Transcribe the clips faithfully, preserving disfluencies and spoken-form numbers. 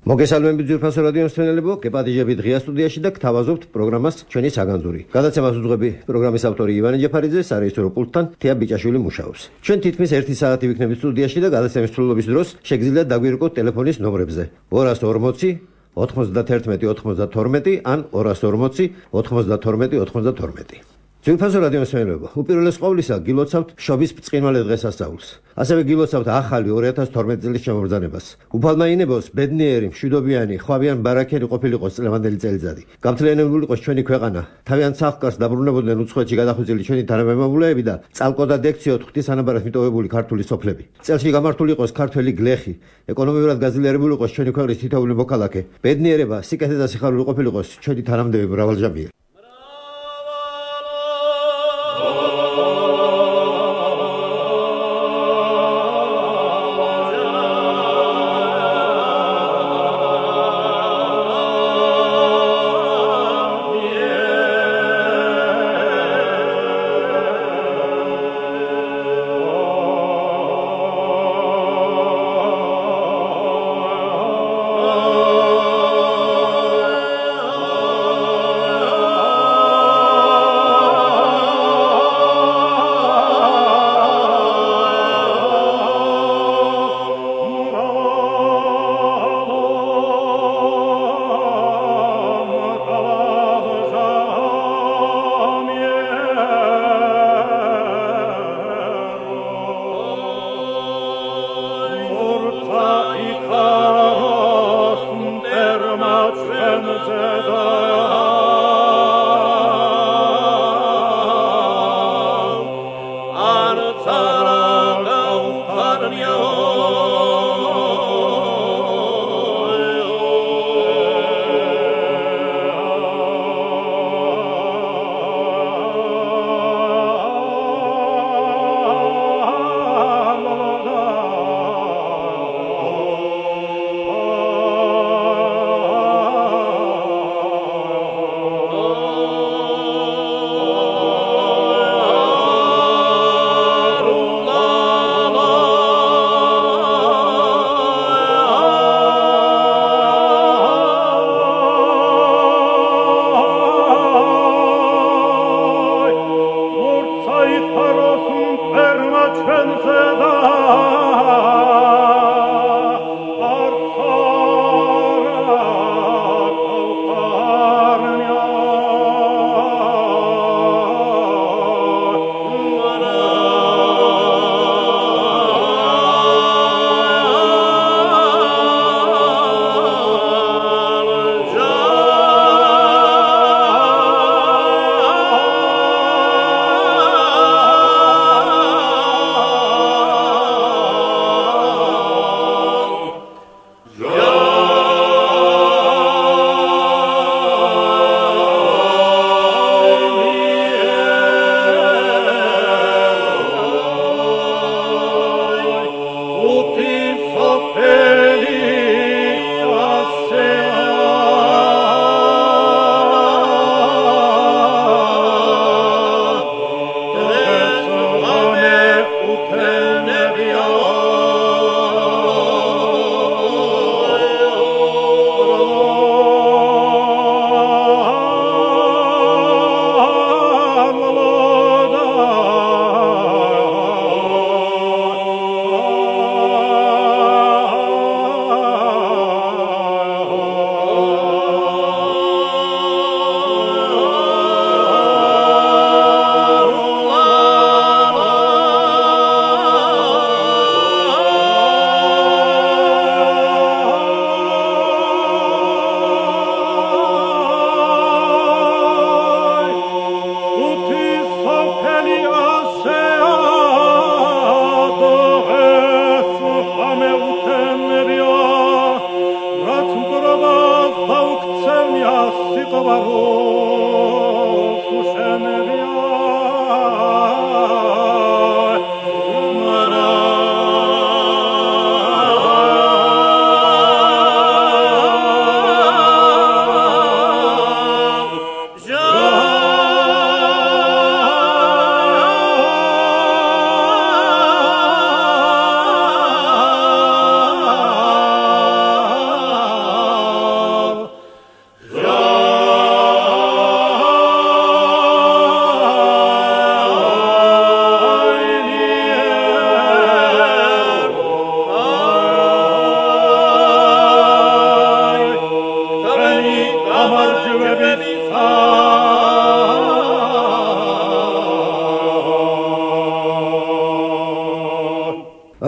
მოგესალმებით ძვირფასო რადიოს მსმენელებო, გეპატიჟებით ღია სტუდიაში და გთავაზობთ პროგრამას ჩვენი საგანძური. გადაცემას უძღვები პროგრამის ავტორი ივანე ჯაფარიძე, სარეჟისორო პულტთან თეა ბიჭაშვილი მუშაობს. ჩვენ თითქმის ერთი საათი ვიქნებით სტუდიაში და გადაცემის მსვლელობის დროს შეგიძლიათ დაგვირეკოთ ტელეფონის ნომრებზე ორას ორმოცი ოთხმოცდათერთმეტი ოცდათორმეტი ან ორას ორმოცი ოთხმოცდათორმეტი ოცდათორმეტი. ძვირფასო რადიოს მსმენელებო, უპირველეს ყოვლისა გილოცავთ შობის ბრწყინვალე დღესასწაულს. ასევე გილოცავთ ახალი ორი ათას თორმეტი წლის შემობრძანებას. უფალმაინებელს ბედნიერი, მშვიდობიანი, ხვავიან ბარაქელი ყოფილიყოს წლევანდელი წელიწადი. გამთლიანებულიყოს ჩვენი ქვეყანა, თავიანთ სახლ-კარს დაბრუნებოდნენ უცხოეთში გადახვეწილი ჩვენი თანამემამულეები და წალკოდა დექციოთ ღვთისანაბარად მიტოვებული ქართული სოფლები. წელში გამართული იყოს ქართველი გლეხი, ეკონომიურად გაძლიერებული იყოს ჩვენი ქვეყნის თითოეული მოქალაქე. ბედნიერება, სიკეთე და სიხარული ყოფილიყოს ჩვენი თანამდებები მრავალჟამიერი.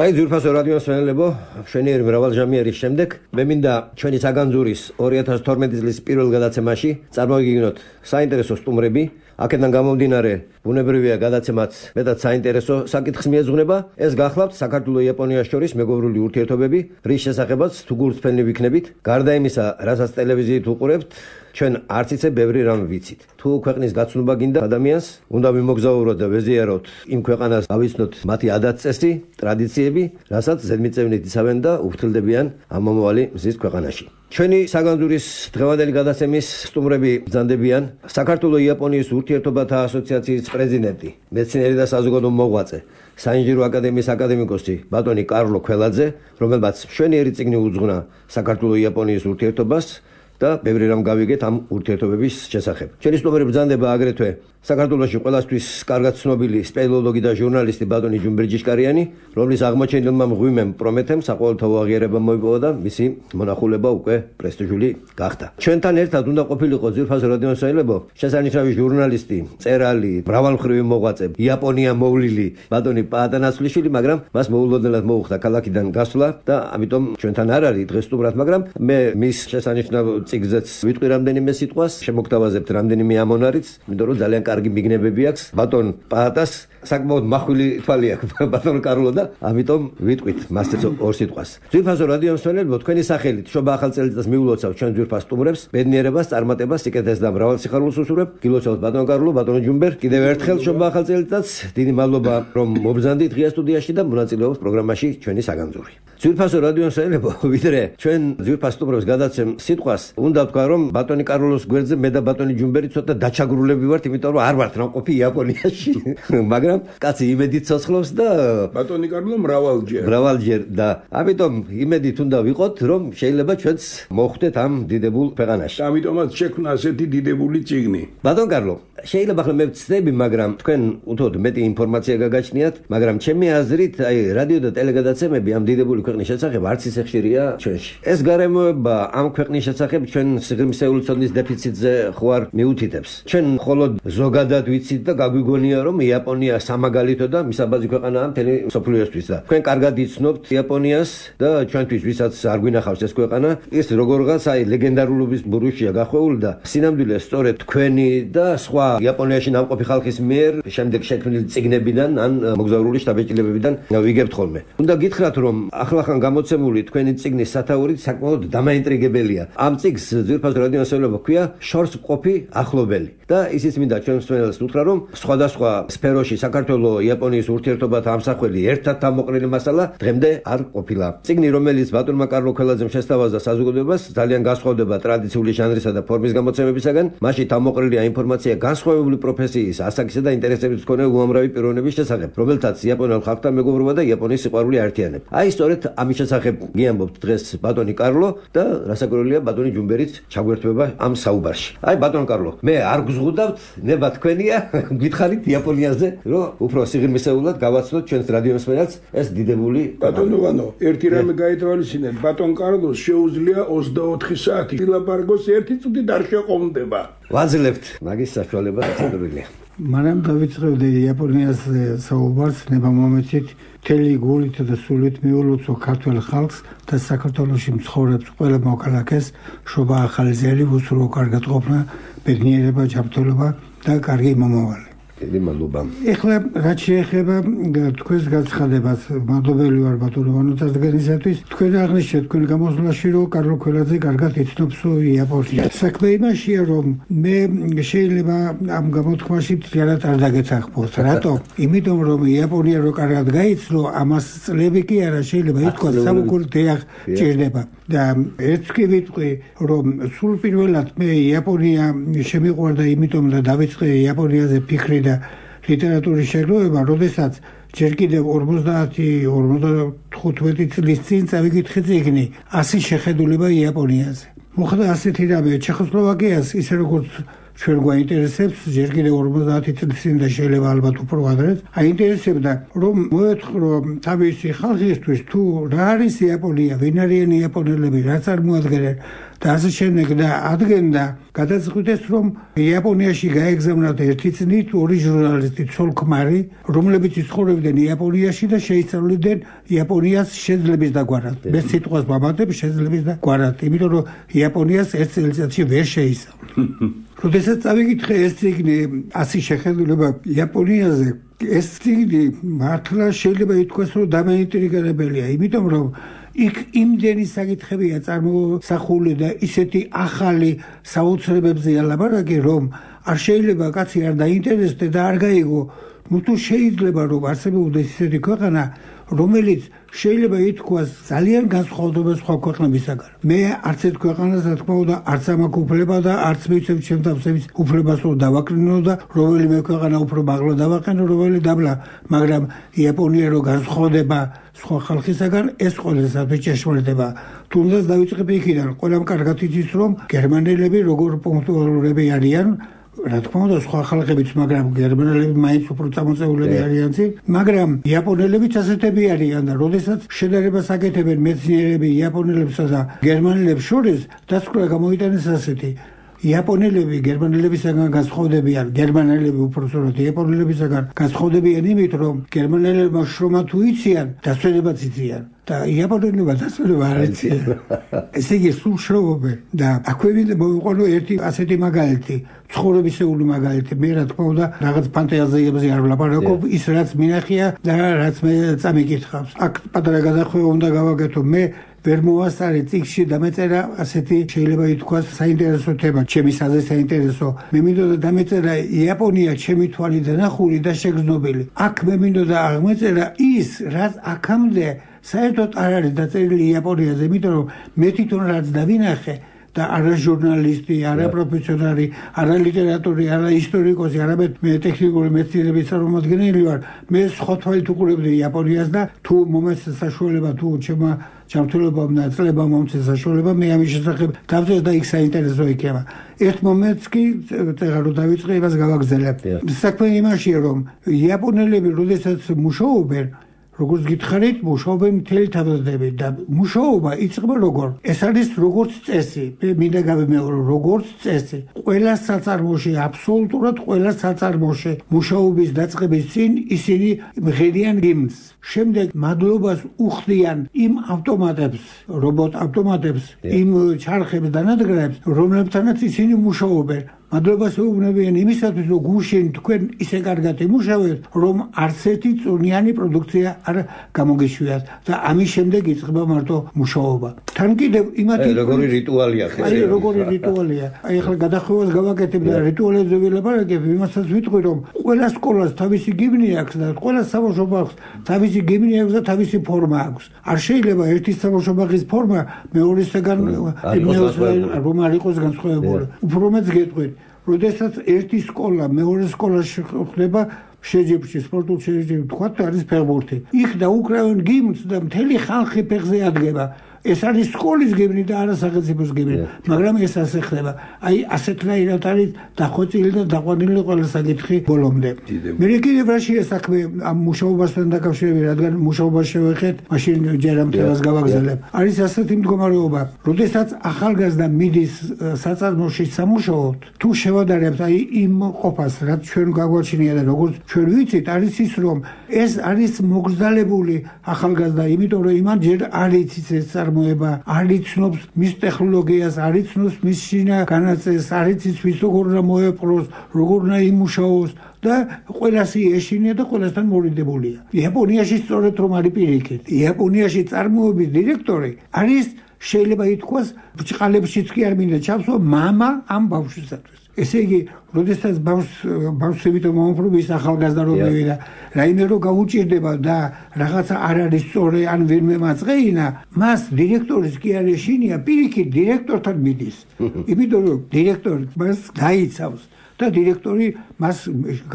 აი ძვირფასო რადიო მსმენელებო, მშვენიერი მრავალჟამიერის შემდეგ მე მინდა ჩვენი საგანძურის ორი ათას თორმეტი წლის პირველ გადაცემაში წარმოვიგიგნოთ საინტერესო სტუმრები. აქედან გამომდინარე, ბუნებრივია გადაცემაც მეტად საინტერესო საკითხს მიეძღვნება. ეს გახლავთ საქართველოს-იაპონიას შორის მეგობრული ურთიერთობები, რის შესახებაც თუ გულწრფელი ვიქნებით. გარდა იმისა, რასაც ტელევიზიით უყურებთ, ჩვენ არც იცე ბევრი რამ ვიცით. თუ ქვეყნის გაცნობა გინდა ადამიანს, უნდა მიმოგზაუროთ და ვეზიაროთ იმ ქვეყანას, გავიცნოთ მათი ადათ-წესი, ტრადიციები, რასაც ზედმიწევნით იცავენ და უფრთხილდებიან ამ მომავალი მზის ქვეყანაში. ჩვენი საგანძურის დღევანდელი გადაცემის სტუმრები ბრძანდებიან საქართველოს-იაპონიის ურთიერთობათა ასოციაციის პრეზიდენტი, მეცნიერი და საზოგადო მოღვაწე, საინჟინრო აკადემიის აკადემიკოსი ბატონი კარლო ქველაძე, რომელმაც მშვენიერი წიგნი უძღვნა საქართველოს-იაპონიის ურთიერთობას და ბევრი რამ გავიგეთ ამ ურთიერთობების შესახებ. ჩვენი სტუმრები ბრძანდება აგრეთვე საქართველოში ყველასთვის კარგად ცნობილი სპელეოლოგი და ჟურნალისტი ბატონი ჯუმბერ ჯიშკარიანი, რომლის აღმოჩენილმა მღვიმემ პრომეთემ საყოველთაო აღიარება მოიპოვა და მისი მონახულება უკვე პრესტიჟული გახდა. ჩვენთან ერთად უნდა ყოფილიყო ძვირფასო რადიო მსმენელებო, შესანიშნავი ჟურნალისტი, მწერალი, მრავალმხრივი მოღვაწე, იაპონია მოვლილი ბატონი პაატანასვლიშვილი, მაგრამ მას მოულოდნელად მოუხდა ქალაქიდან გასვლა და ამიტომ ჩვენთან არ არის დღეს სტუმრად, მაგრამ მე მის შესანიშნავ წიგნზეც ვიტყვი რამდენიმე სიტყვას, შემოგთავაზებთ რამდენიმე ამონარიც, იმიტომ რომ ძალიან კარგი მიგნებები აქვს ბატონ პაატას, საკმაოდ მახვილი თვალი აქვს ბატონ კარლო და ამიტომ ვიტყვით მასეც ორ სიტყვას. ძვირფასო რადიო მსმენელებო, თქვენი სახელით შობა ახალ წელიწადს მიულოცავ ჩვენ ძვირფას სტუმრებს, ბედნიერებას, წარმატებას, სიკეთეს და მრავალ სიხარულს უსურვებ. გილოცავთ ბატონ კარლო, ბატონ ჯუმბერ, კიდევ ერთხელ შობა ახალ წელიწადს. დიდი მადლობა რომ მობრძანდით ღია სტუდიაში და მონაწილეობთ პროგრამაში ჩვენი საგანძური. ძვირფასო რადიო მსმენელებო, ვიდრე ჩვენ ძვირფას სტუმრებს გადაცემ სიტყვას, უნდა ვთქვა რომ ბატონი კარლოს გვერდზე მე და ბატონი ჯუმბერი ცოტა დაჩაგრულები ვართ, იმიტომ რომ არ ვართ ნამყოფი იაპონიაში, მაგრამ კაცი იმედით ცოცხლობს და ბატონი კარლო მრავალჯერ. მრავალჯერ და ამიტომ იმედით უნდა ვიყოთ, რომ შეიძლება ჩვენც მოხვდეთ ამ დიდებულ ქვეყანაში. ამიტომაც შექმნა ასეთი დიდებული წიგნი. ბატონ კარლო, შეიძლება ახლა მე ვცდები, მაგრამ თქვენ უთოთ მეტი ინფორმაცია გაგაჩნიათ, მაგრამ ჩემი აზრით, აი რადიო და ტელეგადაცემები ამ დიდებული ქვეყნის შესახებ არც ისე ხშირია ჩვენში. ეს გარემოება ამ ქვეყნის შესახებ ჩვენ სიღრმისეული ცოდნის დეფიციტზე ხوار მიუთითებს. ჩვენ მხოლოდ ზოგადად ვიცით და გაგვიგონია რომ იაპონია სამაგალითო და მისაბაძი ქვეყანაა მთელი მსოფლიოსთვის და თქვენ კარგად იცნობთ იაპონიას და ჩვენთვის ვისაც არ გვინახავს ეს ქვეყანა, ის როგორღაც აი ლეგენდარულობის ბურუშია გახვეული და სინამდვილეს სწორედ თქვენი და სხვა იაპონიაში ნამყოფი ხალხის მიერ შემდეგ შექმნილი წიგნებიდან ან მოგზაურული შტაბ-ბიჭდებებიდან ვიგებთ ხოლმე. უნდა გითხრათ რომ ახლახან გამოცემული თქვენი წიგნის სათაურით საკმაოდ დამაინტრიგებელია. ამ წიგნს ძვირფასო რადიო მსმენელებო ქვია შორს მყოფი ახლობელი და ისიც მინდა ჩვენ მსმენელს უთხრა რომ სხვადასხვა სფეროში საქართველოს-იაპონიის ურთიერთობათა ამსახველი ერთად თავმოყრილი მასალა დღემდე არ ყოფილა. წიგნი, რომელიც ბატონმა კარლო ქველაძემ შესთავაზა საზოგადოებას, ძალიან განსხვავდება ტრადიციული ჟანრისა და ფორმის გამოცემებისაგან. მასში თავმოყრილია ინფორმაცია განსხვავებული პროფესიის, ასაკისა და ინტერესების მქონე უამრავი პიროვნების შესახებ, რომელთაც იაპონელ ხალხთან მეგობრობა და იაპონიის სიყვარული აერთიანებ. აი სწორედ ამის შესახებ გიამბობთ დღეს ბატონი კარლო და რასაკვირველია ბატონი ჯუმბერიც ჩაგვერთვება ამ საუბარში. აი ბატონ კარლო, მე არ გზღუდავთ, ნება თქვენია, გითხარით იაპონიაზე, რომ უფრო სიღრმისეულად გავაცნოთ ჩვენს რადიო მსმენელს ეს დიდებული ბატონო ვანო, ერთი რამე გაითვალისწინეთ, ბატონ კარლოს შეუძლია ოცდაოთხი საათი ილაპარაკოს, ერთი წუთით არ შეყომდება. ვაძლევთ მაგის საშუალება დაწესებულია. მანამ დავიწყებდი იაპონიას საუბარს, ნება მომეცით მთელი გულით და სულით მიულოცო ქართველ ხალხს და საქართველოში მცხოვრებს ყველა მოქალაქეს შობა ახალი ძელი, უსურო კარგად ყოფნა, ბედნიერება, ჯანმრთელობა და კარგი მომავალი. დიდი მადლობა. ეხლა რაც შეეხება თქვენს განცხადებას, მადლობელი ვარ ბატონო ვანო წარდგენისათვის. თქვენ აღნიშნეთ თქვენ გამოსვლაში, რომ კარლო ქველაძე კარგად იცნობს იაპონიას. საქმე იმაშია, რომ მე შეიძლება ამ გამოთქმაში მთლიანად არ დაგეცახბოთ. რატო? იმიტომ რომ იაპონია რო კარგად გაიცნო, ამას წლები კი არა, შეიძლება ითქვას სამუკურთი ჭირდება. და ერთს კი ვიტყვი, რომ სულ პირველად მე იაპონია შემიყვარდა იმიტომ და დავიწყე იაპონიაზე ფიქრი და ლიტერატურის შეგროვება, როდესაც ჯერ კიდევ ორმოცდაათი ორმოცდახუთმეტი წლის წინ წავიკითხე წიგნი ასი შეხედულება იაპონიაზე. მოხდა ასეთი რამე, ჩეხოსლოვაკიას ისე როგორც ჩვენ გვაინტერესებს ჯერ კიდევ ორმოცდაათი წლის წინ და შეიძლება ალბათ უფრო ადრეც აინტერესებდა რომ მოეთხრო თავისი ხალხისთვის თუ რა არის იაპონია, ვინ არიან იაპონელები, რა წარმოადგენენ და ასე შემდეგ და ადგენდა გადაწყვიტეს რომ იაპონიაში გაეგზავნათ ერთი წნით ორი ჟურნალისტი ცოლ-ქმარი რომლებიც ცხოვრობდნენ იაპონიაში და შეისწავლიდნენ იაპონიას შეძლების და გვარად მე სიტყვას ვამატებ შეძლების და გვარად იმიტომ რომ იაპონიას ერთ წელიწადში ვერ შეისწავლე როდესაც წავიკითხე ეს წიგნი ასი შეხედულება იაპონიაზე ეს წიგნი მართლა შეიძლება ითქვას რომ დამაინტრიგებელია იმიტომ რომ იქ იმდენი საკითხებია წარმოსახული და ისეთი ახალი საოცრებებზეა ლაპარაკი რომ არ შეიძლება კაცი არ დაინტერესდეს და არ გაიგო ну თუ შეიძლება რომ არსებობდეს ისეთი ქვეყანა რომელიც შეიძლება ითქვას ძალიან განსხვავდება სხვა ქვეყნებისაგან. მე არც ერთ ქვეყანას რა თქმა უნდა არც ამაქვს უფლება და არც მივცემ ჩემ თავსების უფლებას რომ დავაკრინო და რომელიმე ქვეყანა უფრო მაღლა დავაყენო, რომელი დაბლა, მაგრამ იაპონია რო განსხვავდება სხვა ხალხისაგან, ეს ყველასათვის ჭეშმარიტება. თუნდაც დავიწყებ იქიდან, ყველამ კარგად იცის რომ გერმანელები როგორ პუნქტუალურები არიან რა თქმა უნდა სხვა ხალხებიც, მაგრამ გერმანელები მაინც უფრო წამოწეულები არიან წინ, მაგრამ იაპონელებიც ასეთები არიან და როდესაც შედარებას აკეთებენ მეცნიერები იაპონელებსა და გერმანელებს შორის, დასკვნა გამოიტანეს ასეთი იაპონელები გერმანელებისაგან განსხვავდებიან, გერმანელები უпроსოროთ იაპონელებისაგან განსხვავდებიან იმით, რომ გერმანელებმა შრომა თუ იციან, დასვენებაც იციან და იაპონელებმა დასვენება არ იციან. ესე იგი სულ შრომობენ და აქვე მოვიყვანო ერთი ასეთი მაგალითი, ცხოვრებისეული მაგალითი. მე რა თქმა უნდა რაღაც ფანტაზიებზე არ ვლაპარაკობ, ის რაც მინახია და რაც მე წამიკითხავს. აქ პატარა გადახვევა უნდა გავაკეთო. მე ვერ მოვასწარე წიგნში დამეწერა ასეთი შეიძლება ითქვას საინტერესო თემა, ჩემისაზე საინტერესო. მე მინდოდა დამეწერა იაპონია ჩემი თვალით დანახული და შეგრძნობილი. აქ მე მინდოდა აღმეწერა ის, რაც აქამდე საერთოდ არ არის დაწერილი იაპონიაზე, იმიტომ რომ მე თვითონ რაც დავინახე და არა ჟურნალისტი, არა პროფესიონალი, არა ლიტერატორი, არა ისტორიკოსი, არამედ მე ტექნიკური მეცნიერების წარმომადგენელი ვარ. მე სხვა თვალით უყურებდი იაპონიას და თუ მომეცეს საშუალება, თუ ჩემმა ჩართულებამ და წლებამ მომცეს საშუალება, მე ამის შესახებ დავწერე და იქ საინტერესო იქნება. ერთ მომენტს კი წერა რომ დავიწყე, იმას გავაგრძელებ. საქმე იმაშია, რომ იაპონელები როდესაც მუშაობენ როგორც გითხარით, მუშაობენ მთელი თავდადებით და მუშაობა იწყება როგორ? ეს არის როგორც წესი. მე მინდა გავიმეორო, როგორც წესი. ყველა საწარმოში, აბსოლუტურად ყველა საწარმოში მუშაობის დაწყების წინ ისინი მღერიან ჰიმნს. შემდეგ მადლობას უხდიან იმ ავტომატებს, რობოტ ავტომატებს, იმ ჩარხებს და ნადგრებს, რომლებთანაც ისინი მუშაობენ. მადლობას ეუბნებიან იმისათვის, რომ გუშინ თქვენ ისე კარგად ემუშავეთ, რომ არც ერთი წვნიანი პროდუქცია არ გამოგეშვიათ და ამის შემდეგ იწყება მარტო მუშაობა. თან კიდევ იმათი როგორი რიტუალია ხე? აი როგორი რიტუალია. აი ახლა გადახვევას გავაკეთებ და რიტუალებზე ვილაპარაკებ, იმასაც ვიტყვი, რომ ყველა სკოლას თავისი გიმნი აქვს და ყველა საბავშვო ბაღს თავისი გიმნი აქვს და თავისი ფორმა აქვს. არ შეიძლება ერთი საბავშვო ბაღის ფორმა მეორისგან რომ არ იყოს განსხვავებული. უფრო მეც გეტყვით როდესაც ერთი სკოლა მეორე სკოლაში ხდება შეჯიბრში, სპორტულ შეჯიბრში, თქვა არის ფეხბურთი. იქ დაუკრავენ გიმნს და მთელი ხალხი ფეხზე ადგება. ეს არის სკოლის გიმნი და არა სახელმწიფოს გიმნი, მაგრამ ეს ასე ხდება. აი ასეთნაირად არის დახვეწილი და დაყვანილი ყველა საკითხი ბოლომდე. მე კიდევ რაშია საქმე ამ მუშაობასთან დაკავშირებით, რადგან მუშაობას შევეხეთ, მაშინ ჯერ ამ თემას გავაგზავნებ. არის ასეთი მდგომარეობა, როდესაც ახალგაზრდა მიდის საწარმოში სამუშაოდ, თუ შევადარებთ აი იმ ყოფას, რაც ჩვენ გაგვაჩნია და როგორც ჩვენ ვიცით, არის ის, რომ ეს არის მოგზდალებული ახალგაზრდა, იმიტომ რომ იმან ჯერ არ იცის ეს წარმოება, არ იცნობს მის ტექნოლოგიას, არ იცნობს მის შინა განაწესს, არ იცის ვის როგორ უნდა მოეპყროს, როგორ უნდა იმუშაოს და ყველასი ეშინია და ყველასთან მორიდებულია. იაპონიაში სწორედ რომ არის პირიქით. იაპონიაში წარმოების დირექტორი არის შეიძლება ითქვას ბრჭყალებშიც კი არ მინდა ჩავსო მამა ამ ბავშვისათვის. ესე იგი, როდესაც ბავშვს ბავშვს იმიტომ მომფრობის ახალგაზრდა რომ მივიდა, რაიმე რომ გაუჭირდება და რაღაცა არ არის სწორი ან ვინმე მაწყეინა, მას დირექტორის კი არ ეშინია, პირიქით დირექტორთან მიდის. იმიტომ რომ დირექტორი მას დაიცავს და დირექტორი მას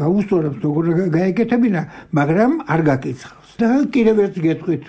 გაუსწორებს, როგორ გაეკეთებინა, მაგრამ არ გაკიცხავს. და კიდევ ერთ გეტყვით,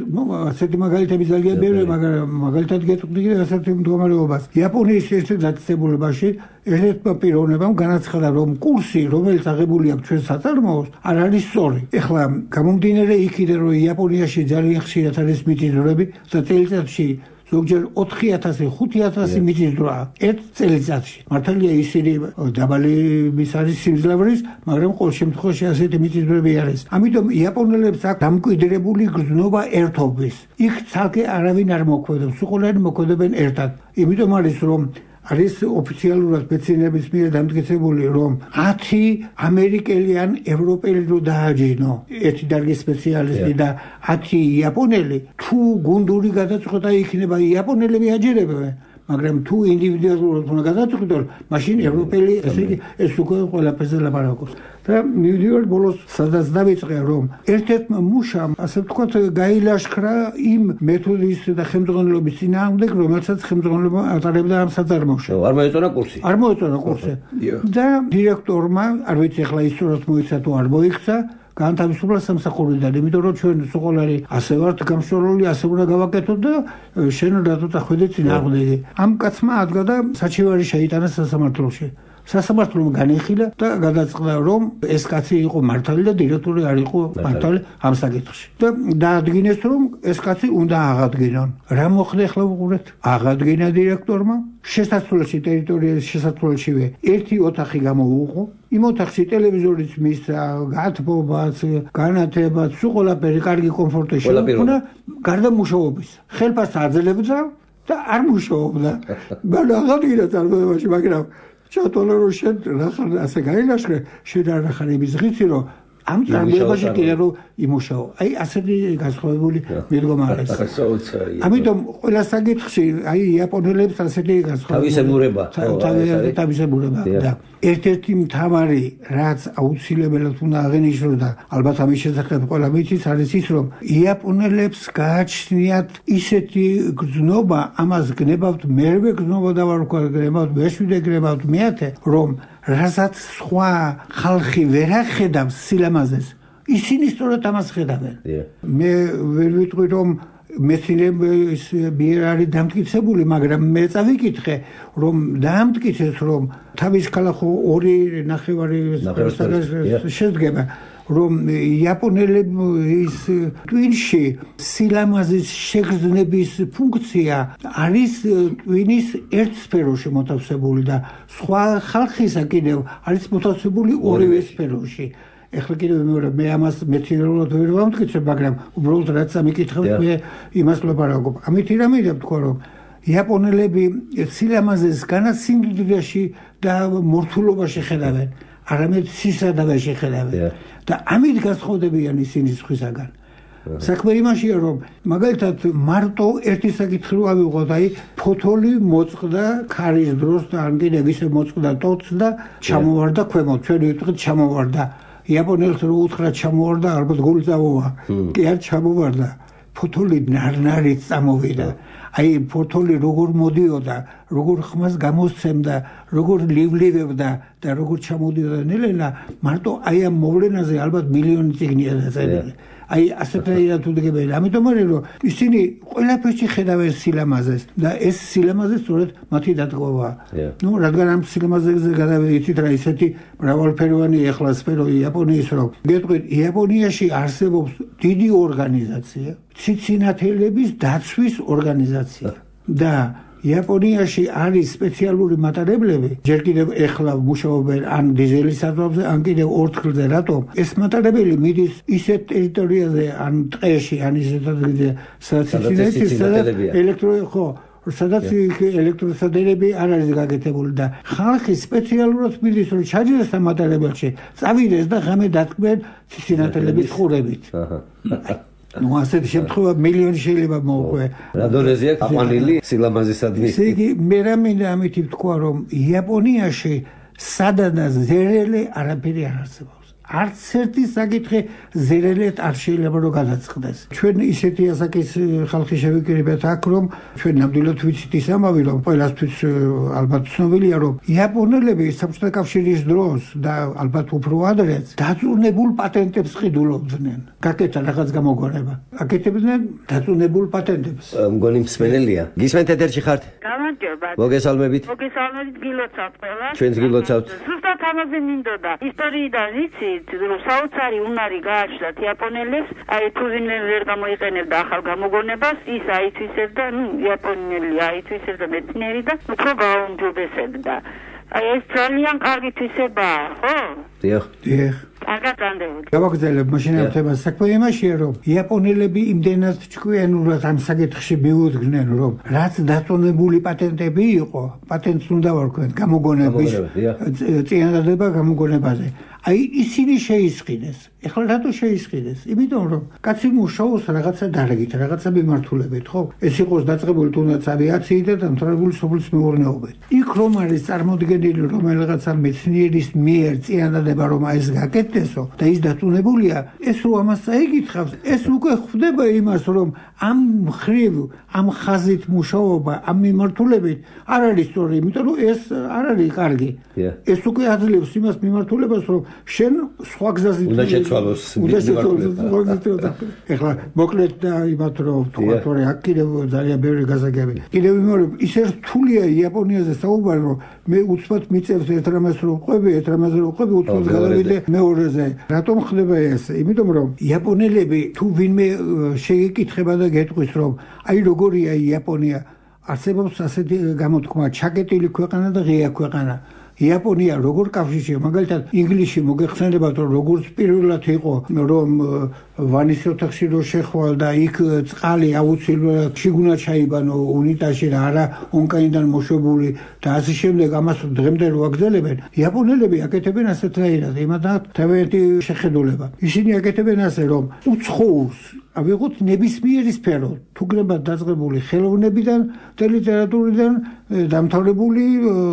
ასეთი მაგალითები ძალიან ბევრია, მაგრამ მაგალითად გეტყვით კიდევ ასეთი მდგომარეობას. იაპონიის ერთ-ერთ დაწესებულებაში ერთ-ერთმა პიროვნებამ განაცხადა, რომ კურსი, რომელიც აღებული აქვს ჩვენ საწარმოოს, არ არის სწორი. ეხლა გამომდინარე იქიდან, რომ იაპონიაში ძალიან ხშირად არის მიწისძვრები და წელიწადში ზოგჯერ ოთხი ათასი, ხუთი ათასი მიწისძვრაა ერთ წელიწადში. მართალია ისინი დაბალი მის არის სიმძლავრის, მაგრამ ყოველ შემთხვევაში ასეთი მიწისძვრები არის. ამიტომ იაპონელებს აქვს დამკვიდრებული გრძნობა ერთობის. იქ ცალკე არავინ არ მოქმედებს, უყოლანი მოქმედებენ ერთად. იმიტომ არის რომ არის ოფიციალურად მეცნიერების მიერ დამტკიცებული, რომ ათი ამერიკელი ან ევროპელი რო დააჯინო ერთი დარგის სპეციალისტი და ათი იაპონელი, თუ გუნდური გადაწყვეტა იქნება იაპონელები აჯერებენ, მაგრამ თუ ინდივიდუალურად უნდა გადაწყვეტონ, მაშინ ევროპელი ესე იგი ეს უკვე ყველაფერზე ლაპარაკობს. და მივიდივარ ბოლოს სადაც დავიწყე, რომ ერთ-ერთმა მუშამ, ასე ვთქვათ, გაილაშქრა იმ მეთოდის და ხელმძღვანელობის წინააღმდეგ, რომელსაც ხელმძღვანელობა ატარებდა ამ საწარმოში. არ მოეწონა კურსი. არ მოეწონა კურსი. და დირექტორმა, არ ვიცი ახლა ისწორად მოიქცა თუ არ მოიქცა, განთავისუფლა სამსახურიდან, იმიტომ რომ ჩვენ სოყოლარი ასე ვართ გამშრალული, ასე უნდა გავაკეთოთ და შენ რატო დახვედი წინააღმდეგი. ამ კაცმა ადგა და საჩივარი შეიტანა სასამართლოში. სასამართლომ განიხილა და გადაწყდა, რომ ეს კაცი იყო მართალი და დირექტორი არ იყო მართალი ამ საკითხში. და დაადგინეს, რომ ეს კაცი უნდა აღადგინონ. რა მოხდა ახლა უყურეთ? აღადგინა დირექტორმა, შესასვლელში ტერიტორიის შესასვლელშივე ერთი ოთახი გამოუყო. იმ ოთახში ტელევიზორიც მისცა, გათბობაც, განათებაც, სულ ყველაფერი კარგი კომფორტი შეუქმნა, გარდა მუშაობის. ხელფას აძლევდა და არ მუშაობდა. მან აღადგინა წარმოებაში, მაგრამ ჩატოლა რომ შენ რახან ასე გაილაშქრე, შენ არ ახარ იმის ღიცი, რომ ამ წარმოებაში კიდე რომ იმუშაო. აი ასეთი განსხვავებული მიდგომა არის. ამიტომ ყველა საკითხში აი იაპონელებს ასეთი განსხვავებული თავისებურება, თავისებურება და ერთ-ერთი მთავარი, რაც აუცილებლად უნდა აღინიშნოს და ალბათ ამის შესახებ ყველა ვიცით, არის ის, რომ იაპონელებს გააჩნიათ ისეთი გრძნობა, ამას გნებავთ მერვე გრძნობა დავარქვა, გნებავთ მეშვიდე, გნებავთ მეათე, რომ რასაც სხვა ხალხი ვერ ახედავს სილამაზეს, ისინი სწორად ამას ხედავენ. მე ვერ ვიტყვი, რომ მეცნიერების მიერ არის დამტკიცებული, მაგრამ მე წავიკითხე, რომ დაამტკიცეს, რომ თავის ქალახო ორი ნახევარი შედგება, რომ იაპონელების ტვინში სილამაზის შეგრძნების ფუნქცია არის ტვინის ერთ სფეროში მოთავსებული და სხვა ხალხისა კიდევ არის მოთავსებული ორივე სფეროში. ეხლა კიდევ მეორე მე ამას მეცნიერულად ვერ ვამტკიცებ, მაგრამ უბრალოდ რაც ამიკითხავთ, მე იმას ვლაპარაკობ. ამითი რამეა თქვა, რომ იაპონელები სილამაზეს განაც სიმდიდრეში და მორთულობაში ხედავენ, არამედ სისადავეში ხედავენ. და ამით განსხვავდებიან ისინი სხვისაგან. საქმე იმაშია, რომ მაგალითად მარტო ერთი საკითხი რო ავიღოთ, აი ფოთოლი მოწყდა ქარის დროს და ან კიდევ ისე მოწყდა ტოტს და ჩამოვარდა ქვემოთ, ჩვენ ვიტყვით ჩამოვარდა. იაპონელს რო უთხრა ჩამოვარდა, ალბათ გული წამოვა. კი არ ჩამოვარდა. ფოთოლი ნარნარით წამოვიდა. აი ფოთოლი როგორ მოდიოდა, როგორ ხმას გამოსცემდა, როგორ ლივლივებდა და როგორ ჩამოდიოდა ნელ-ნელა, მარტო აი ამ მოვლენაზე ალბათ მილიონი წიგნია დაწერილი. აი ასეთაირად უდგებენ. ამიტომ არის რომ ისინი ყველაფერში ხედავენ სილამაზეს და ეს სილამაზე სწორედ მათი დატკბობაა. ნუ რადგან ამ სილამაზეზე გადავიდით რა ისეთი მრავალფეროვანი ეხლა სფერო იაპონიის რომ გეტყვით იაპონიაში არსებობს დიდი ორგანიზაცია, ციცინათელების დაცვის ორგანიზაცია და იაპონიაში არის სპეციალური მატარებლები, ჯერ კიდევ ეხლა მუშაობენ ან დიზელის საძვალზე, ან კიდევ ორთქლზე, რატომ? ეს მატარებელი მიდის ისეთ ტერიტორიაზე, ან ტყეში, ან ისეთ ადგილზე, სადაც ელექტრო ხო, სადაც ელექტროსადგურები არ არის გაკეთებული და ხალხი სპეციალურად მიდის, რომ ჩაჯდეს ამ მატარებელში, წავიდეს და ღამე დათქმენ ციცინათელების ყურებით. ნუ ასეთი შემთხვევა მილიონი შეიძლება მოუყვე. რადონეზია ყვანილი სილამაზისადმი. ესე იგი მე რამინდა ამით ვთქვა, რომ იაპონიაში სადადას ზერელი არაფერი არ არსებობს. არც ერთი საკითხი ზერელეთ არ შეიძლება რომ გადაწყდეს. ჩვენ ისეთი ასაკის ხალხი შევიკრიბეთ აქ, რომ ჩვენ ნამდვილად ვიცით ის ამბავი, რომ ყველასთვის ალბათ ცნობილია, რომ იაპონელები საბჭოთა კავშირის დროს და ალბათ უფრო ადრეც დაწუნებულ პატენტებს ყიდულობდნენ. გაკეთა რაღაც გამოგონება. აკეთებდნენ დაწუნებულ პატენტებს. მგონი მსმენელია. გისმენთ ეთერში ხართ? გამარჯობა. მოგესალმებით. მოგესალმებით, გილოცავთ ყველა. ჩვენც გილოცავთ. ზუსტად ამაზე მინდოდა. ისტორიიდან ვიცით, რომ საოცარი უნარი გააჩნდათ იაპონელებს, აი თუ ვინმე ვერ გამოიყენებდა ახალ გამოგონებას, ის აითვისებდა, ნუ იაპონელი აითვისებდა მეცნიერი და უფრო გააუმჯობესებდა. აი ეს ძალიან კარგი თვისებაა, ხო? დიახ. დიახ. კარგად განდევთ. გავაგრძელებ მაშინ ამ თემას. საქმე იმაშია, რომ იაპონელები იმდენად ჭკვიანურად ამ საკითხში მიუძღნენ, რომ რაც დაწონებული პატენტები იყო, პატენტს უნდა ვარქვენ გამოგონების წინადადება გამოგონებაზე. აი ისინი შეისყიდეს. ეხლა რატო შეისყიდეს? იმიტომ რომ კაცი მუშაობს რაღაცა დარგით, რაღაცა მიმართულებით, ხო? ეს იყოს დაწყებული თუნდაც ავიაციით და დამთავრებული სოფლის მეურნეობით. იქ რომ არის წარმოდგენილი რომელიღაცა მეცნიერის მიერ წინადადება, რომ ეს გაკეთდესო და ის დაწუნებულია, ეს რო ამას წაიკითხავს, ეს უკვე ხვდება იმას, რომ ამ მხრივ, ამ ხაზით მუშაობა, ამ მიმართულებით არ არის სწორი, იმიტომ რომ ეს არ არის კარგი. ეს უკვე აძლევს იმას მიმართულებას, რომ შენ სხვა გზაზე უნდა შეცვალოს. ეხლა მოკლედ და იმათ რომ თქვა თორე აქ კიდევ ძალიან ბევრი გასაგები. კიდევ იმეორებ, ისე რთულია იაპონიაზე საუბარი, რომ მე უცბად მიწევს ერთ რამას რომ ყვები, ერთ რამას რომ ყვები, უცბად გადავიდე მეორეზე. რატომ ხდება ეს? იმიტომ რომ იაპონელები თუ ვინმე შეიკითხება და გეტყვის, რომ აი როგორია იაპონია, არსებობს ასეთი გამოთქმა, ჩაკეტილი ქვეყანა და ღია ქვეყანა. იაპონია როგორ კავშირშია, მაგალითად ინგლისში მოგეხსენებათ, რომ როგორც პირველად იყო, რომ ვანის ოთახში რო შეხვალ და იქ წყალი აუცილებლად შიგუნა ჩაიბანო უნიტაზში და არა ონკაიდან მოშობული და ასე შემდეგ, ამას დღემდე რო აგრძელებენ, იაპონელები აკეთებენ ასეთნაირად, იმათაც თავიანთი შეხედულება. ისინი აკეთებენ ასე, რომ უცხოურს ავიღოთ ნებისმიერი სფერო, თუ გნებათ დაწყებული ხელოვნებიდან და ლიტერატურიდან დამთავრებული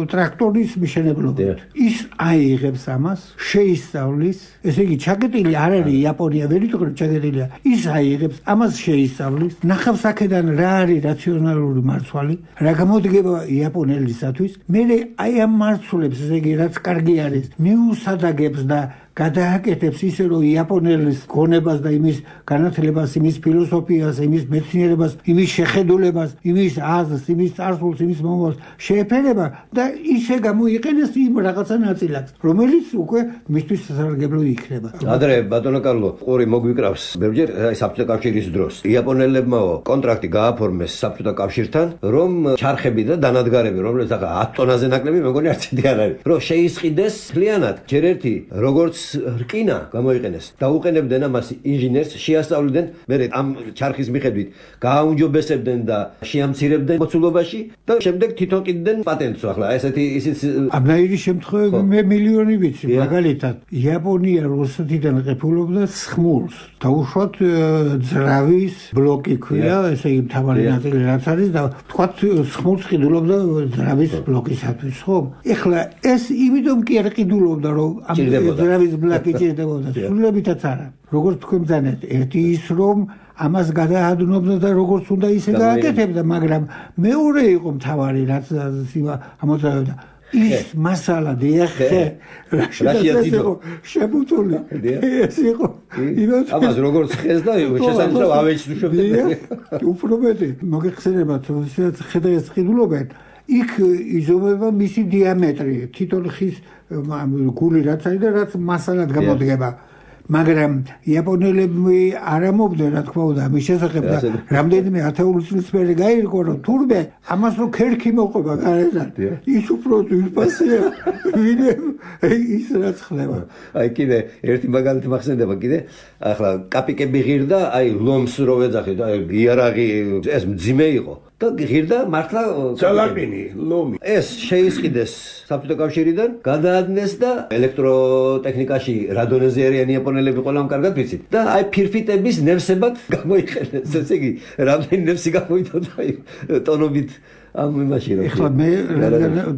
ტრაქტორის მშენებლობით. ის აიღებს ამას, შეისწავლის, ესე იგი ჩაკეტილი არ არის იაპონია, ვერ იტყვი ჩაკეტილია. ის აიღებს, ამას შეისწავლის, ნახავს აქედან რა არის რაციონალური მარცვალი, რა გამოდგება იაპონელისათვის, მერე აი ამ მარცვლებს, ესე იგი რაც კარგი არის, მიუსადაგებს და გადააკეთებს ისე, რომ იაპონელის გონებას და იმის განათლებას, იმის ფილოსოფიას, იმის მეცნიერებას, იმის შეხედულებას, იმის აზრს, იმის წარსულს, იმის მომავალს შეეფერება და ისე გამოიყენეს იმ რაღაცა ნაწილაკს, რომელიც უკვე მისთვის სასარგებლო იქნება. ადრე ბატონო კარლო, ყური მოგვიკრავს ბევრჯერ საბჭოთა კავშირის დროს. იაპონელებმა კონტრაქტი გააფორმეს საბჭოთა კავშირთან, რომ ჩარხები და დანადგარები, რომლებიც ახლა ათ ტონაზე ნაკლები, მეგონი არც ერთი არ არის, რომ შეისყიდეს მთლიანად. ჯერ ერთი როგორც რკინა გამოიყენეს და უყენებდნენ ამას ინჟინერს, შეასწავლიდნენ, მერე ამ ჩარხის მიხედვით გააუმჯობესებდნენ და შეამცირებდნენ მოცულობაში და შემდეგ თვითონ ყიდდნენ პატენტს. ახლა ესეთი ისიც ამნაირი შემთხვევები მე მილიონი ვიცი. მაგალითად, იაპონია რუსეთიდან ყიფულობდა სხმულს. დაუშვათ ძრავის ბლოკი ქვია, ესე იგი მთავარი ნაწილი რაც არის და თქვათ სხმულს ყიდულობდა ძრავის ბლოკისათვის, ხო? ეხლა ეს იმიტომ კი არ ყიდულობდა, რომ ამ ძრავის ბლოკი ჭირდებოდა, სრულებითაც არა. როგორც თქვენ ბძანეთ, ერთი ის რომ ამას გადაადნობდა და როგორც უნდა ისე გააკეთებდა, მაგრამ მეორე იყო მთავარი რაც ამოწევდა. ის მასალა დიახე რაშიაც იყო შემოწული ეს იყო ამას როგორც ხეს და შესაძლოა ავეჯს უშვებდნენ უფრო მეტი მოგეხსენებათ რომ ხედავს ყიდულობენ იქ იზომება მისი დიამეტრი თითოეულ ხის გული რაც არის და რაც მასალად გამოდგება მაგრამ იაპონელები არ ამობდნენ რა თქმა უნდა მის შესახებ და რამდენიმე ათეული წლის მერე გაირკვა რომ თურმე ამას რო ქერქი მოყვება გარედან ის უფრო ძვირფასია ვინმე ის რაც ხდება აი კიდე ერთი მაგალითი მახსენდება კიდე ახლა კაპიკები ღირდა აი ლომს რო ვეძახით აი იარაღი ეს მძიმე იყო და ღირდა მართლა ძალაყინი, ლომი. ეს შეისყიდეს საბჭოთა კავშირიდან, გადაადნეს და ელექტროტექნიკაში რა დონეზე არიან იაპონელები ყველამ კარგად ვიცით. და აი ფირფიტების ნევსებად გამოიყენეს, ესე იგი, რამდენი ნევსი გამოიწოდა აი ტონობით ამ იმაში რა. ეხლა მე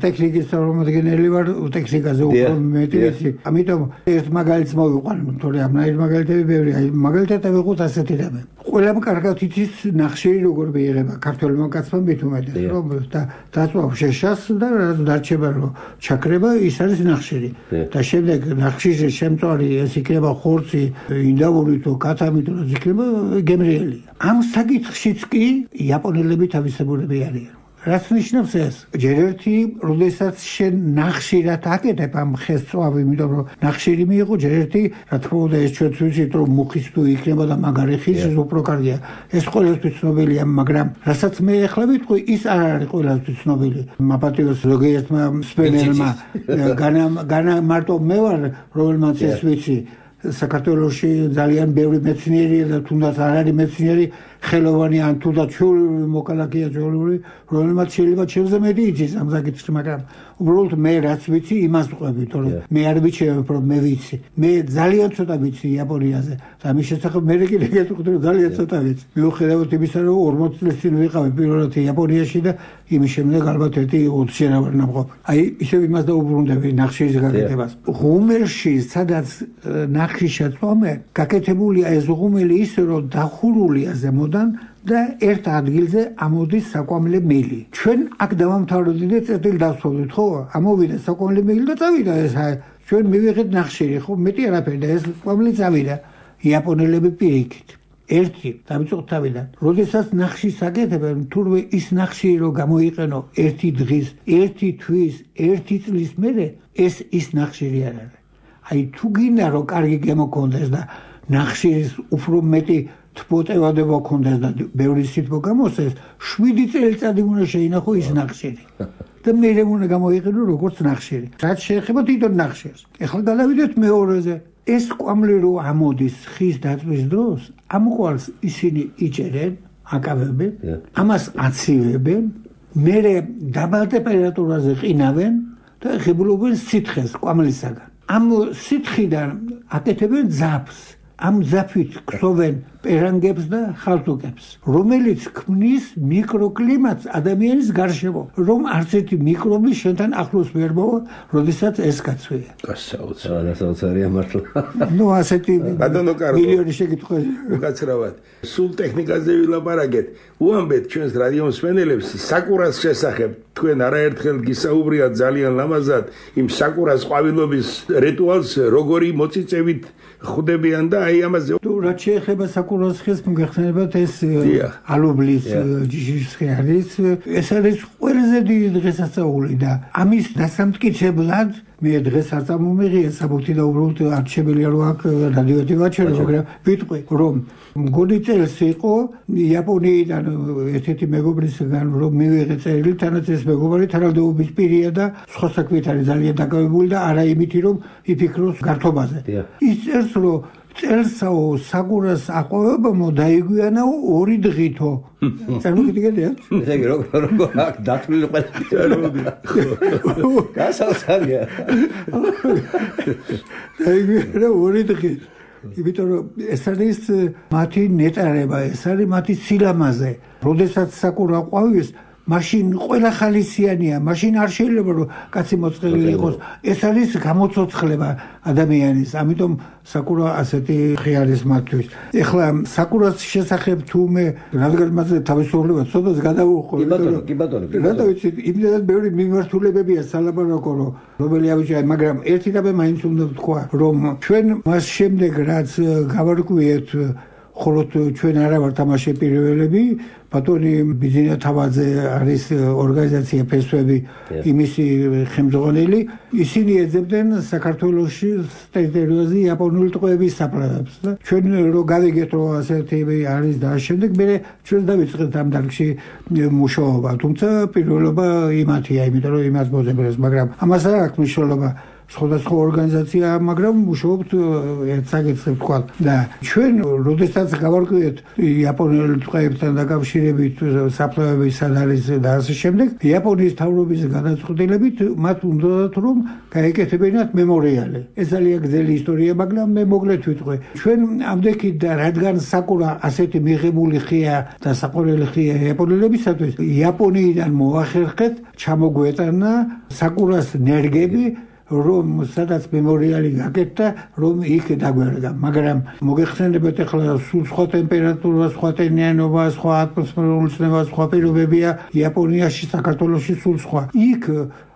ტექნიკის წარმომადგენელი ვარ, ტექნიკაზე უფრო მეტი ვიცი. ამიტომ ერთ მაგალითს მოვიყვან, თორე ამნაირ მაგალითები ბევრია. აი მაგალითად ავიღოთ ასეთი რამე. ყველამ კარგად იცის ნახშირი როგორ მიიღება ქართველმა კაცმა მით უმეტეს, რომ და დაწვავ შეშას და დარჩება რომ ჩაქრება, ის არის ნახშირი. და შემდეგ ნახშირის შემწვარი ეს იქნება ხორცი, ინდავური თუ კათამი თუ რა იქნება გემრიელია. ამ საკითხშიც კი იაპონელები თავისებურები არიან. რაც ნიშნავს ეს? ჯერ ერთი, როდესაც შენ ნახშირად აკეთებ ამ ხესწვავ, იმიტომ რომ ნახშირი მიიღო, ჯერ ერთი, რა თქმა უნდა, ეს ჩვენც ვიცით, რომ მუხის თუ იქნება და მაგარი ხის უფრო კარგია. ეს ყველასთვის ცნობილია, მაგრამ რასაც მე ახლა ვიტყვი, ის არ არის ყველასთვის ცნობილი. მაპატიოს ზოგიერთმა მსმენელმა განა განა მარტო მე ვარ, რომელმაც ეს ვიცი. საქართველოში ძალიან ბევრი მეცნიერია და თუნდაც არ არის მეცნიერი ხელოვანი ან თუნდაც ჩვეული მოკალაკეა ჩვეული, რომელმაც შეიძლება ჩემზე მეტი იცის ამ საკითხში, მაგრამ უბრალოდ მე რაც ვიცი, იმას ვყვები, თორე მე არ ვიცი, რომ მე ვიცი. მე ძალიან ცოტა ვიცი იაპონიაზე და ამის შესახებ მე კიდე გეტყვით, რომ ძალიან ცოტა ვიცი. მიუხედავად იმისა, რომ ორმოც წლის წინ ვიყავი პირველად იაპონიაში და იმის შემდეგ ალბათ ერთი ოცი რა ვარ ნამყოფი. აი, ისევ იმას დაუბრუნდები ნახშირის გაკეთებას. ღუმელში, სადაც ნახშირი შეწვავენ, გაკეთებულია ეს ღუმელი ისე, რომ დახურულია ზემოდან და ერთ ადგილზე ამოდის საკვამლე მილი. ჩვენ აქ დავამთავრდით და წერტილი დავსვოლით, ხო? ამოვიდა საკვამლე მილი და წავიდა ეს. ჩვენ მივიღეთ ნახშირი, ხო? მეტი არაფერი და ეს საკვამლე წავიდა. იაპონელები პირიქით. ერთი დავიწყოთ თავიდან. როდესაც ნახშირს აკეთებენ, თურმე ის ნახშირი რო გამოიყენო ერთი დღის, ერთი თვის, ერთი წლის მერე, ეს ის ნახშირი არ არის. აი თუ გინდა რომ კარგი გემოქონდეს და ნახშირის უფრო მეტი თბოტევადება ქონდეს და ბევრი სითბო გამოსცეს, შვიდი წელიწადი უნდა შეინახო ის ნახშირი. და მერე უნდა გამოიყენო როგორც ნახშირი. რაც შეეხება თვითონ ნახშირს. ეხლა გადავიდეთ მეორეზე. ეს კვამლი რო ამოდის ხის დაწვის დროს, ამ კვალს ისინი იჭერენ, აკავებენ, ამას აცივებენ, მერე დაბალ ტემპერატურაზე ყინავენ და ხიბლობენ სითხეს კვამლისაგან. ამ სითხიდან აკეთებენ ძაფს. ამ ძაფით ქსოვენ პერანგებს და ხალთუკებს, რომელიც ქმნის მიკროკლიმატს ადამიანის გარშემო, რომ არც ერთი მიკრობი შენთან ახლოს ვერ მოვა, როდესაც ეს კაცვია. გასაოცარია მართლა. ნუ ასეთი მილიონი შეკითხვა. უკაცრავად. სულ ტექნიკაზე ვილაპარაკეთ. უამბეთ ჩვენს რადიო მსმენელებს საკურას შესახებ. თქვენ არაერთხელ გისაუბრიათ ძალიან ლამაზად იმ საკურას ყვავილობის რიტუალს, როგორი მოწიწევით ხვდებიან და აი ამაზე. თუ რაც შეეხება საკურას ხეს მოგეხსენებათ ეს ალუბლის ჯიშის ხე არის, ეს არის ყველაზე დიდი დღესასწაული და ამის დასამტკიცებლად მე დღეს არ წამომიღია საბუთი და უბრალოდ არ შემიძლია რომ აქ რადიოთი ვაჩვენო, მაგრამ ვიტყვი რომ მგონი წელს იყო იაპონიიდან ერთ-ერთი მეგობრისგან რომ მივიღე წერილი, თანაც ეს მეგობარი თანამდებობის პირია და სხვა საქმით არის ძალიან დაკავებული და არა იმითი რომ იფიქროს გართობაზე. ის წერს რომ წელსაო საკურას აყვავებამო დაიგვიანაო ორი დღითო. წარმოგიდგენია? ესე იგი როგორ როგორ აქ დათვლილი ყველა. გასაოცარია. დაიგვიანა ორი დღით. იმიტომ რომ ეს არის მათი ნეტარება, ეს არის მათი სილამაზე. როდესაც საკურა ყვავის, მაშინ ყველა ხალისიანია, მაშინ არ შეიძლება რომ კაცი მოწყენილი იყოს. ეს არის გამოცოცხლება ადამიანის. ამიტომ საკურა ასეთი ხე არის მათთვის. ეხლა საკურას შესახებ თუ მე რადგან მასე თავისუფლება ცოტას გადავუხო. კი ბატონო, კი ბატონო. რატო ვიცი, იმდენად ბევრი მიმართულებებია სალაპარაკო, რომელი ავიჭირე, მაგრამ ერთი რამე მაინც უნდა ვთქვა, რომ ჩვენ მას შემდეგ რაც გავარკვიეთ ხოლო ჩვენ არა ვართ ამაში პირველები, ბატონი ბიძინა თავაძე არის ორგანიზაცია ფესვები, იმისი ხელმძღვანელი, ისინი ეძებდნენ საქართველოში ტერიტორიაზე იაპონური ტყვეების საპრადებს და ჩვენ რო გავიგეთ რომ ასეთი არის და შემდეგ მე ჩვენ დავიწყეთ ამ დარგში მუშაობა, თუმცა პირველობა იმათია, იმიტომ რომ იმას მოძებნეს, მაგრამ ამას არ აქვს მნიშვნელობა. სხვადასხვა ორგანიზაცია, მაგრამ მუშაობთ ერთ საკითხზე თქვა და ჩვენ როდესაც გავარკვიეთ იაპონელ ტყეებთან დაკავშირებით საფლავების სად არის და ასე შემდეგ, იაპონიის მთავრობის გადაწყვეტილებით მათ უნდათ რომ გაეკეთებინათ მემორიალი. ეს ძალიან გრძელი ისტორია, მაგრამ მე მოკლედ ვიტყვი. ჩვენ ამდექით და რადგან საკურა ასეთი მიღებული ხია და საყვარელი ხია იაპონელებისათვის, იაპონიიდან მოახერხეთ ჩამოგვეტანა საკურას ნერგები, რომ სადაც მემორიალი გაკეთდა, რომ იქ დაგვერგა. მაგრამ მოგეხსენებათ ახლა სულ სხვა ტემპერატურა, სხვა ტენიანობა, სხვა ატმოსფერული წნევა, სხვა პირობებია იაპონიაში, საქართველოში სულ სხვა. იქ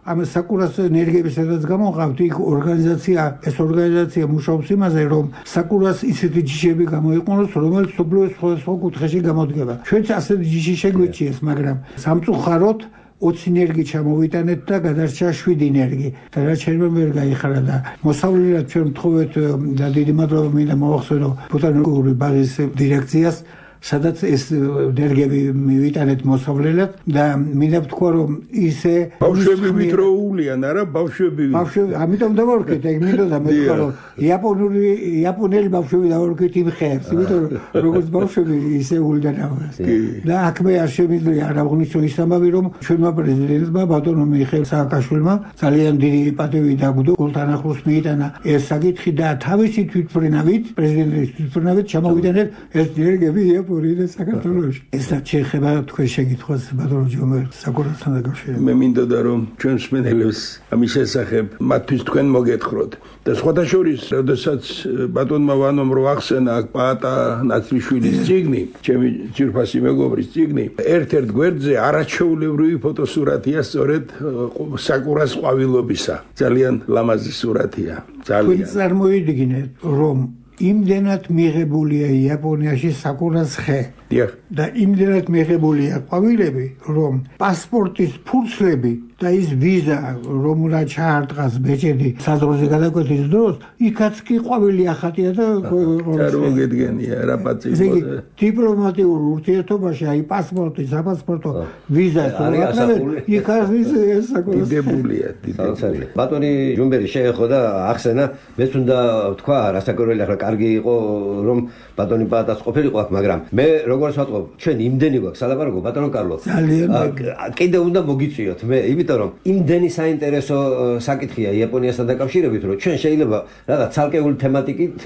ამ საკურას ნერგები სადაც გამოყავთ, იქ ორგანიზაცია, ეს ორგანიზაცია მუშაობს იმაზე, რომ საკურას ისეთი ჯიშები გამოიყენოს, რომელიც მსოფლიოს სხვადასხვა კუთხეში გამოდგება. ჩვენც ასეთი ჯიში შეგვეჭიეს, მაგრამ სამწუხაროდ ოცი ნერგი ჩამოვიტანეთ და გადარჩა შვიდი ნერგი და რაც შეიძლება ვერ გაიხარა და მოსავლელად ჩვენ ვთხოვეთ და დიდი მადლობა მინდა მოვახსენო ბოტანიკური ბაღის დირექციას, სადაც ეს ნერგები მივიტანეთ მოსავლელად და მინდა ვთქვა რომ ისე ბავშვები ვითროულიან არა ბავშვები ბავშვები ამიტომ დავარქვით ეგ მინდოდა მე ვთქვა რომ იაპონური იაპონელი ბავშვები დავარქვით იმ ხეებს იმიტომ რომ როგორც ბავშვები ისე ულიდან ამას და აქ მე არ შემიძლია არ აღვნიშნო ის ამბავი რომ ჩვენმა პრეზიდენტმა ბატონო მიხეილ სააკაშვილმა ძალიან დიდი პატივი დაგუდო გულთან ახლოს მიიტანა ეს საკითხი და თავისი თვითმფრინავით პრეზიდენტის თვითმფრინავით ჩამოვიდანეთ ეს ნერგები პორიდე საქართველოში. ეს რაც შეეხება თქვენ შეკითხვას ბატონო ჯომერ საკურასთან დაკავშირებით. მე მინდოდა რომ ჩვენ მსმენელებს ამის შესახებ მათთვის თქვენ მოგეთხროთ. და სხვათა შორის, როდესაც ბატონმა ვანომ რო ახსენა აქ პაატა ნაცრიშვილის წიგნი, ჩემი ძირფასი მეგობრის წიგნი, ერთ-ერთ გვერდზე არაჩვეულებრივი ფოტოსურათია სწორედ საკურას ყვავილობისა. ძალიან ლამაზი სურათია. ძალიან. თქვენ წარმოიდგინეთ რომ იმდენად მიღებულია იაპონიაში საკურას ხე და იმდენად მიღებულია ყვავილები, რომ პასპორტის ფურცლები და ის ვიზა, რომ რა ჩაარტყას ბეჭედი საზღვარზე გადაკვეთის დროს, იქაც კი ყვავილი ახატია და წარმოგედგენია რა პაწი. ესე იგი დიპლომატიურ ურთიერთობაში აი პასპორტი, საპასპორტო ვიზა იქ არის ეს საკურას დიდებულია, დიდებულია. ბატონი ჯუმბერი შეეხო და ახსენა, მეც უნდა ვთქვა, რასაკურველი ახლა კარგი იყო რომ ბატონი პაატას ყოფილიყო აქ, მაგრამ მე როგორც ვატყობ, ჩვენ იმდენი გვაქვს სალაპარაკო ბატონო კარლო. კიდე უნდა მოგიწვიოთ მე, იმიტომ რომ იმდენი საინტერესო საკითხია იაპონიასთან დაკავშირებით, რომ ჩვენ შეიძლება რაღაც ცალკეული თემატიკით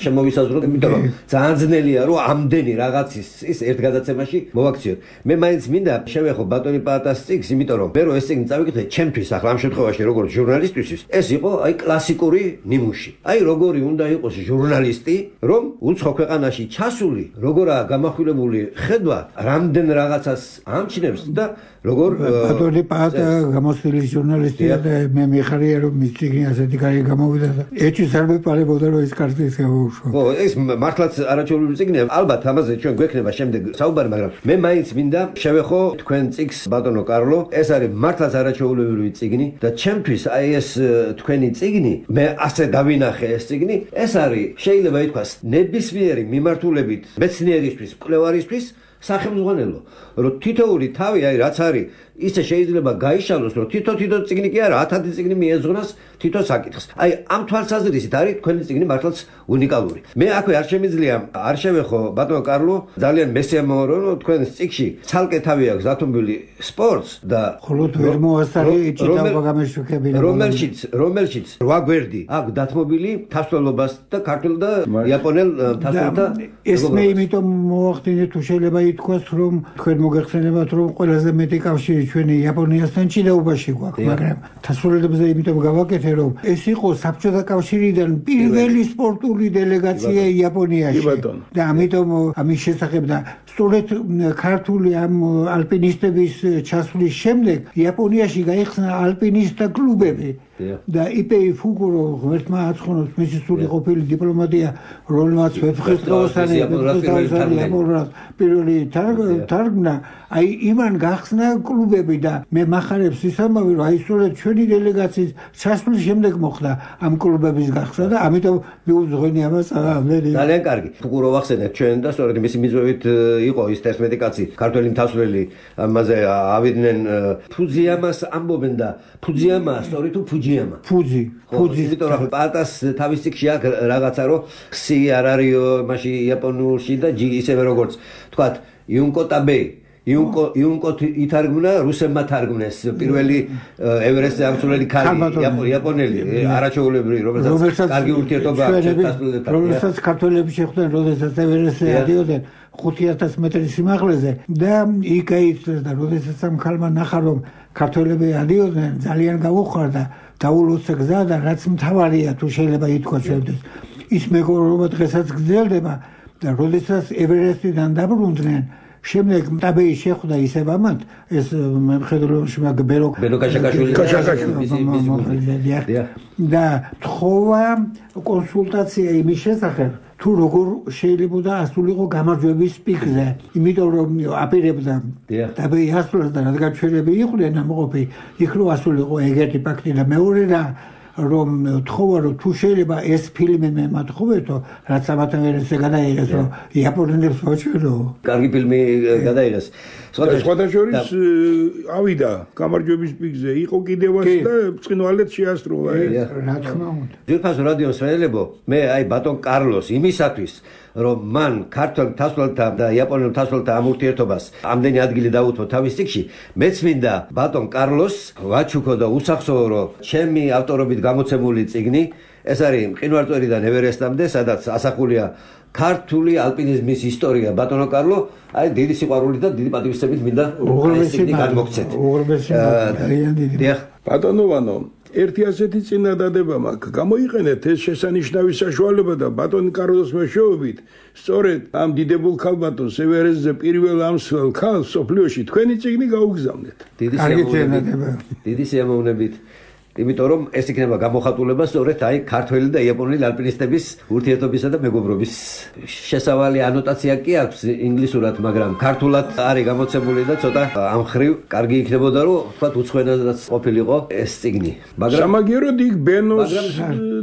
შემოვისაზღვროთ, იმიტომ რომ ძალიან ძნელია რომ ამდენი რაღაცის ის ერთ გადაცემაში მოვაქციოთ. მე მაინც მინდა შევეხო ბატონი პაატას წიგნს, იმიტომ რომ მე რო ეს წიგნი წავიკითხე, ჩემთვის ახლა ამ შემთხვევაში როგორც ჟურნალისტისთვის, ეს იყო აი კლასიკური ნიმუში. აი როგორი უნდა იყოს ჟურნალისტი, რომ უცხო ქვეყანაში ჩასული, როგორაა გამახვილებული ხედვა, რამდენ რაღაცას ამჩნევს და როგორ ბატონი პაატა გამოსილი ჟურნალისტია და მე მიხარია რომ მის წიგნი ასეთი კარგი გამოვიდა და ეჭვს არ მეპარებოდა რომ ეს კარგის გამოუშვა. ხო, ეს მართლაც არაჩვეულებრივი წიგნია. ალბათ ამაზე ჩვენ გვექნება შემდეგ საუბარი, მაგრამ მე მაინც მინდა შევეხო თქვენ წიგნს ბატონო კარლო. ეს არის მართლაც არაჩვეულებრივი წიგნი და ჩემთვის აი ეს თქვენი წიგნი, მე ასე დავინახე ეს წიგნი, ეს არის შეიძლება ითქვას ნებისმიერი მიმართულებით მეცნიერისთვის, მკვლევარისთვის სახელმძღვანელო, რომ თითოეული თავი, აი რაც არის, ისე შეიძლება გაიშალოს, რომ თითო-თითო წიგნი კი არა, ათათი წიგნი მიეზღროს თითო საკითხს. აი ამ თვალსაზრისით არის თქვენი წიგნი მართლაც უნიკალური. მე აქვე არ შემიძლია არ შევეხო ბატონო კარლო, ძალიან მესიამოვნო რომ თქვენს წიგნში ცალკე თავი აქვს დათმობილი სპორტს და ხოლოდ ვერ მოასწარი ჭიდაობა გამეშუქებინა, რომელშიც რომელშიც რვა გვერდი აქვს დათმობილი თასვლობას და ქართულ და იაპონელ თასვლთა. ეს მე იმიტომ მოახდინე თუ შეიძლება ითქვას რომ თქვენ მოგეხსენებათ რომ ყველაზე მეტი კავშირი ჩვენი იაპონიასთან ჭიდაობაში გვაქვს, მაგრამ თასვლებზე იმიტომ გავაკეთე რომ ეს იყო საბჭოთა კავშირიდან პირველი სპორტული დელეგაცია იაპონიაში და ამიტომ ამის შესახებ და სწორედ ქართული ამ ალპინისტების ჩასვლის შემდეგ იაპონიაში გაიხსნა ალპინისტთა კლუბები და იპეი ფუკურო ღმერთმა აცხონოს მისი სული ყოფილი დიპლომატია როლმაც ვეფხისტყაოსანი პირველი თარგმნა აი იმან გახსნა კლუბები და მე მახარებს ისამავი რომ აი სწორედ ჩვენი დელეგაციის ჩასვლის შემდეგ მოხდა ამ კლუბების გახსნა და ამიტომ მიუძღვენი ამას ამერი ძალიან კარგი ფუკურო ვახსენებ ჩვენ და სწორედ მისი მიზვევით იყო ის თერთმეტი კაცი ქართველი მთასვლელი ამაზე ავიდნენ ფუძიამას ამბობენ და ფუძიამა სწორი თუ ფუჯიამა ფუძი ფუძი იმიტომ რომ პარტას თავის ციკში აქვს რაღაცა რომ ხსი არ არისო მაშინ იაპონურში და ისევე როგორც თქვათ იუნკო ტაბეი იუნკო იუნკო ითარგმნა რუსებმა თარგმნეს პირველი ევერესტზე აღწეული ქალი იაპონელი არაჩვეულებრივი რომელსაც კარგი ურთიერთობა აქვს რომელსაც ქართველები შეხვდნენ როდესაც ევერესტზე ადიოდნენ ხუთი ათას მეტრის სიმაღლეზე და იქ აიწეს და როდესაც ამ ქალმა ნახა რომ ქართველები ადიოდნენ ძალიან გაუხარდა დაულოცა გზა და რაც მთავარია თუ შეიძლება ითქვა ჩვენთვის ის მეგობრობა დღესაც გრძელდება და როდესაც ევერესტიდან დაბრუნდნენ შემდეგ ტაბეი შეხვდა ისევ ამათ ეს მხედრულში მაგ ბელო ბელო კაშაკაშვილი და თხოვა კონსულტაცია იმის შესახებ თუ როგორ შეიძლება ასულიყო გამარჯვების პიკზე იმიტომ რომ აპირებდა ტაბეი ასულს და რადგან ჩვენები იყვნენ ამყოფი იქ რო ასულიყო ეგეთი ფაქტი და მეორე და რომ თხოვა რომ თუ შეიძლება ეს ფილმი მე მათხოვეთო რაც ამათვერესე გადაიღეს რომ იაპონელებს მოჩვენო კარგი ფილმი გადაიღეს სხვადასხვა ავიდა გამარჯვების პიკზე იყო კიდევაც და ბრწყინვალედ შეასრულა რა თქმა უნდა ძირფას რადიოს მსმენელებო მე აი ბატონ კარლოს იმისათვის რომ მან ქართულ მთასვლელთა და იაპონელ მთასვლელთა ამ ურთიერთობას ამდენი ადგილი დაუთმო თავის ციკში მეც მინდა ბატონ კარლოს ვაჩუქო და უსახსოო რომ ჩემი ავტორობით გამოცემული წიგნი ეს არის მყინვარწვერიდან ევერესტამდე სადაც ასახულია ქართული ალპინიზმის ისტორია ბატონო კარლო აი დიდი სიყვარული და დიდი პატივისცემით მინდა ეს წიგნი გადმოგცეთ ბატონოვანო ერთი ასეთი წინადადება მაქვს გამოიყენეთ ეს შესანიშნავი საშუალება და ბატონ კარლოს მეშვეობით სწორედ ამ დიდებულ ქალბატონს ევერესტზე პირველ ამსვლელ ქალს სოფლიოში თქვენი წიგნი გაუგზავნეთ დიდი სიამოვნებით დიდი სიამოვნებით იმიტომ რომ ეს იქნება გამოხატულება სწორედ აი ქართველი და იაპონელი ალპინისტების ურთიერთობისა და მეგობრობის შესავალი ანოტაცია კი აქვს ინგლისურად მაგრამ ქართულად არის გამოცემული და ცოტა ამ ხრივ კარგი იქნებოდა რომ თქვა უცხოენადაც ყოფილიყო ეს წიგნი მაგრამ სამაგიეროდ იქ ბენოს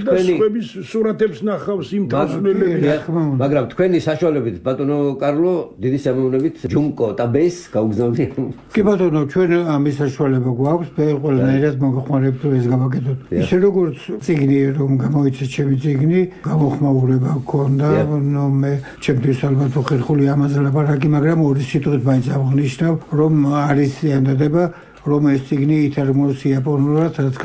და სხვების სურათებს ნახავს იმ თასვლელებს მაგრამ თქვენი საშუალებით ბატონო კარლო დიდი სიამოვნებით ჯუნკო ტაბეის გაუგზავნით კი ბატონო ჩვენ ამის საშუალება გვაქვს მე ყველანაირად მოგხმარებთ გავაკეთოთ. ისე როგორც წიგნი რომ გამოიცეს ჩემი წიგნი, გამოხმაურება გქონდა, ნუ მე ჩემთვის ალბათ უხერხული ამაზე ლაპარაკი, მაგრამ ორი სიტყვით მაინც აღნიშნავ, რომ არის ზიანდება, რომ ეს წიგნი ითარგმნოს იაპონურად, რაც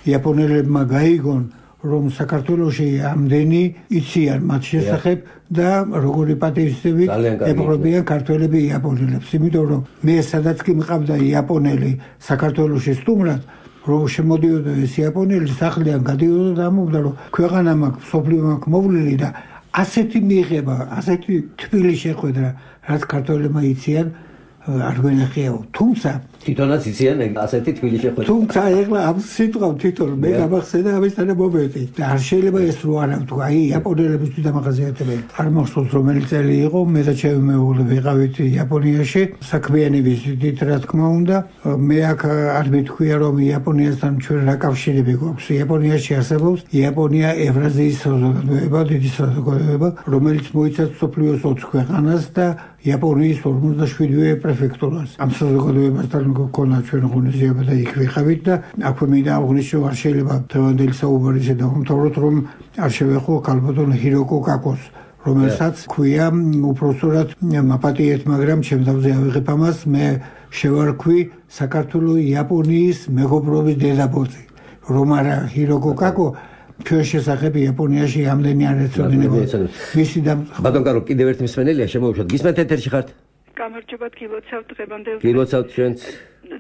იაპონელებმა გაიგონ, რომ საქართველოში ამდენი იციან მათ შესახებ და როგორი პატივისცემით ეპყრობიან ქართველები იაპონელებს, იმიტომ რომ მე სადაც კი მყავდა იაპონელი საქართველოში სტუმრად რომ შემოდიოდა ეს იაპონელი სახლიდან გადიოდა და ამბობდა რომ ქვეყანა მაქვს სოფლიო მაქვს მოვლილი და ასეთი მიიღება ასეთი თბილი შეხვედრა რაც ქართველებმა იციან არ გვენახიაო თუმცა თვითონაც იციან ასეთი თბილი შეხვედრა თუმცა ეხლა ამ სიტყვა თვითონ მე გამახსენდა ამისთან მომენტი და არ შეიძლება ეს რო არა ვთქვა აი იაპონელებისთვის დამახასიათებელი არ მახსოვს რომელი წელი იყო მე და ჩემი მეუღლე ვიყავით იაპონიაში საქმიანი ვიზიტით რა თქმა უნდა მე აქ არ მithქვია რომ იაპონიასთან ჩვენ რა კავშირები გვაქვს იაპონიაში არსებობს იაპონია ევრაზიის საზოგადოება დიდი საზოგადოება რომელიც მოიცავს სოფლიოს ოც ქვეყანას და იაპონიის ორმოცდაშვიდივე პრეფექტურას ამ საზოგადოებასთან გქონდა ჩვენ ღონისძიება და იქ ვიყავით და აქვე მინდა აღვნიშნო არ შეიძლება დღევანდელი საუბარისა და უმთავროდ რომ არ შევეხო ქალბატონ ჰიროკო კაკოს რომელსაც ქვია უпроსტად მაპატიეთ მაგრამ ჩემ თავზე ავიღებ ამას მე შევარქვი საქართველოს იაპონიის მეგობრობის დედაბოძი რომ არა ჰიროკო კაკო ჩვენ შესახებ იაპონიაში ამდენი არ ეცოდინება მისი და ბატონ კარლო კიდევ ერთი მსმენელია შემოვუშვათ გისმენთ ეთერში ხართ გამარჯობა გილოცავთ დღევანდელ გილოცავთ ჩვენც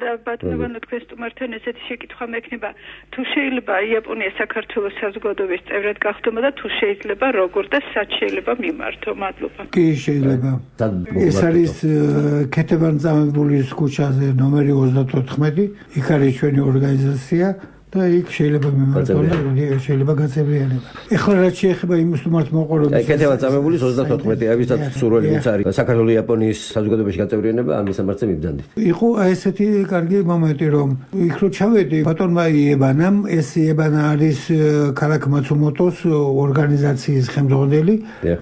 და ბატონო თქვენ სტუმართან ესეთი შეკითხვა მექნება თუ შეიძლება იაპონია საქართველოს საზოგადოების წევრად გახდომა და თუ შეიძლება როგორ და სად შეიძლება მიმართო მადლობა კი შეიძლება ეს არის ქეთევან წამებულის ქუჩაზე ნომერი ოცდათოთხმეტი იქ არის ჩვენი ორგანიზაცია და იქ შეიძლება მიმართონ და შეიძლება გაწევრიანება. ეხლა რაც შეეხება იმის თუ მართ მოყოლებს. აი კეთება წამებული ოცდათოთხმეტი ავისაც სურველი ვინც არის საქართველოს იაპონიის საზოგადოებაში გაწევრიანება ამ მისამართზე მიბრძანდით. იყო აი ესეთი კარგი მომენტი რომ იქ რო ჩავედი ბატონმა იებანამ ეს იებანა არის ქალაქ მაცუმოტოს ორგანიზაციის ხელმძღვანელი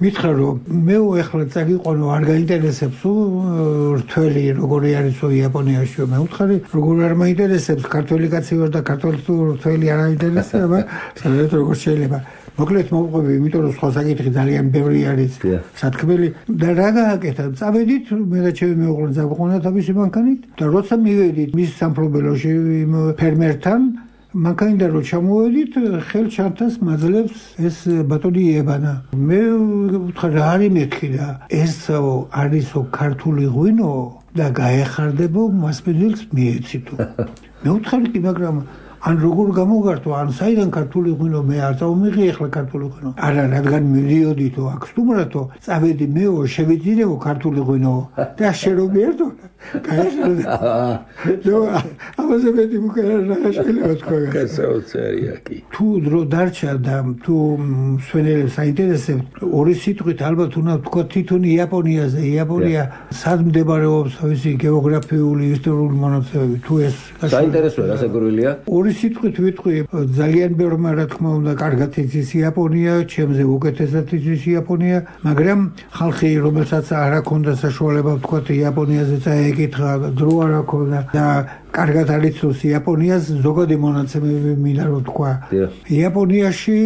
მითხრა რომ მე ეხლა წაგიყვანო არ გაინტერესებს რთველი როგორი არის იაპონიაში მე ვთხარი როგორ არ მაინტერესებს ქართველი კაცი ვარ და ქართველი რთველი არ აინტერესება სადაც როგორ შეიძლება მოკლედ მოვყვები იმიტომ რომ სხვა საკითხი ძალიან ბევრი არის სათქმელი და რა გააკეთა წავედით მე და ჩემი მეუღლე წავიყვანა თავისი მანქანით და როცა მივედით მის სამფლობელოში იმ ფერმერთან მანქანიდან რო ჩამოვედით ხელჩართას მაძლევს ეს ბატონი იებანა მე ვთხარ რა არის მეთქი და ესო არისო ქართული ღვინო და გაეხარდებო მასპინძელს მიეცითო მე ვთხარი კი მაგრამ ან როგორ გამოგართო ან საიდან ქართული ღვინო მე არ წავმიღე ახლა ქართული ღვინო არა რადგან მივიდიოდითო აქ სტუმრათო წავედი მეო შევიძინეო ქართული ღვინო და შერობიერთო გაიხარდა ნუ ამაზე მეტი მოკერა რა შეიძლება თქვა გასაოცარია კი თუ დრო დარჩა და თუ სვენელებს აინტერესებთ ორი სიტყვით ალბათ უნდა თქვა თვითონ იაპონიაზე იაპონია სად მდებარეობს თავისი გეოგრაფიული ისტორიული მონაცემები თუ ეს საინტერესოა რასაკვირველია ორი სიტყვით ვიტყვი ძალიან ბევრმა რა თქმა უნდა კარგად იცის იაპონია ჩემზე უკეთესად იცის იაპონია მაგრამ ხალხი რომელსაც არ აქვს საშუალება თქვა იაპონიაზე წაეკითხა დრო არ აქვს და კარგად არ იცის იაპონიას ზოგადი მონაცემები მინდა რომ თქვა იაპონიაში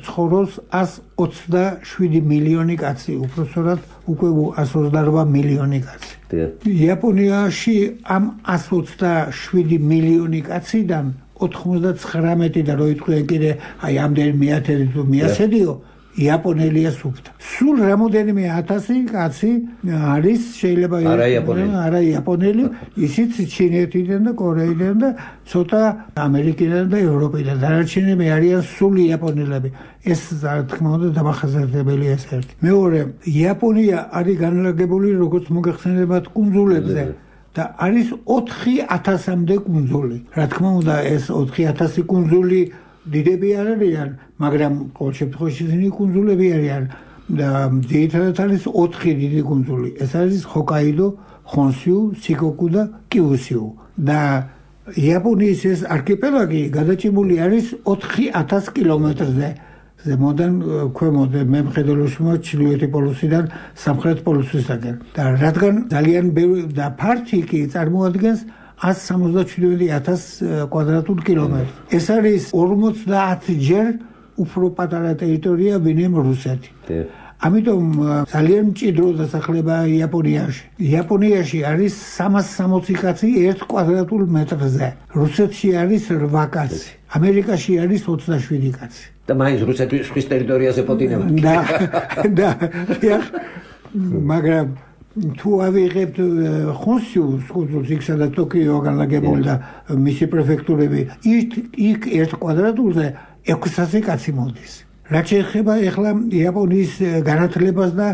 ცხოვრობს ასი ოცდაშვიდი მილიონი კაცი უпроსორად უკვე ასი ოცდარვა მილიონი კაცი იაპონიაში ამ ასი ოცდაშვიდი მილიონი კაციდან ოთხმოცდათხრამეტი და რო იტყვიან კიდე აი ამდენ მეათედი თუ მეასედიო იაპონელია სუფთა. სულ რამოდენიმე ათასი კაცი არის შეიძლება არა იაპონელი, ისიც ჩინეთიდან და კორეიდან და ცოტა ამერიკიდან და ევროპიდან. დანარჩენები არიან სულ იაპონელები. ეს რა თქმა უნდა დამახასიათებელია ეს ერთი. მეორე, იაპონია არის განლაგებული როგორც მოგეხსენებათ კუნძულებზე. და არის ოთხი ათასამდე კუნძული. რა თქმა უნდა ეს ოთხი ათასი კუნძული დიდები არ არიან, მაგრამ ყოველ შემთხვევაში ისინი კუნძულები არიან და ძირითადად არის ოთხი დიდი კუნძული. ეს არის ჰოკაიდო, ხონსიუ, სიკოკუ და კიუსიუ. და იაპონიის ეს არქიპელაგი გადაჭიმული არის ოთხი ათას კილომეტრზე. ზემოდან ქვემოთ მემხედველოში ჩრდილოეთი პოლუსიდან სამხრეთ პოლუსისაკენ. და რადგან ძალიან ბევრი და ფართი კი წარმოადგენს ასი სამოცდაშვიდი ათას კვადრატულ კილომეტრს. ეს არის ორმოცდაათჯერ უფრო პატარა ტერიტორია ვინმე რუსეთი. ამიტომ ძალიან მჭიდრო დასახლებაა იაპონიაში. იაპონიაში არის სამას სამოცი კაცი ერთ კვადრატულ მეტრზე. რუსეთში არის რვა კაცი. ამერიკაში არის ოცდაშვიდი კაცი. და მაინც რუსეთის ხის ტერიტორიაზე პოტინება. და და მაგრამ თუ ავიღებთ ხონსიუს კუნძულს იქ სადაც ტოკიო განლაგებული და მისი პრეფექტურები იქ ერთ კვადრატულზე ექვსასი კაცი მოდის. რაც შეეხება ახლა იაპონიის განათლებას და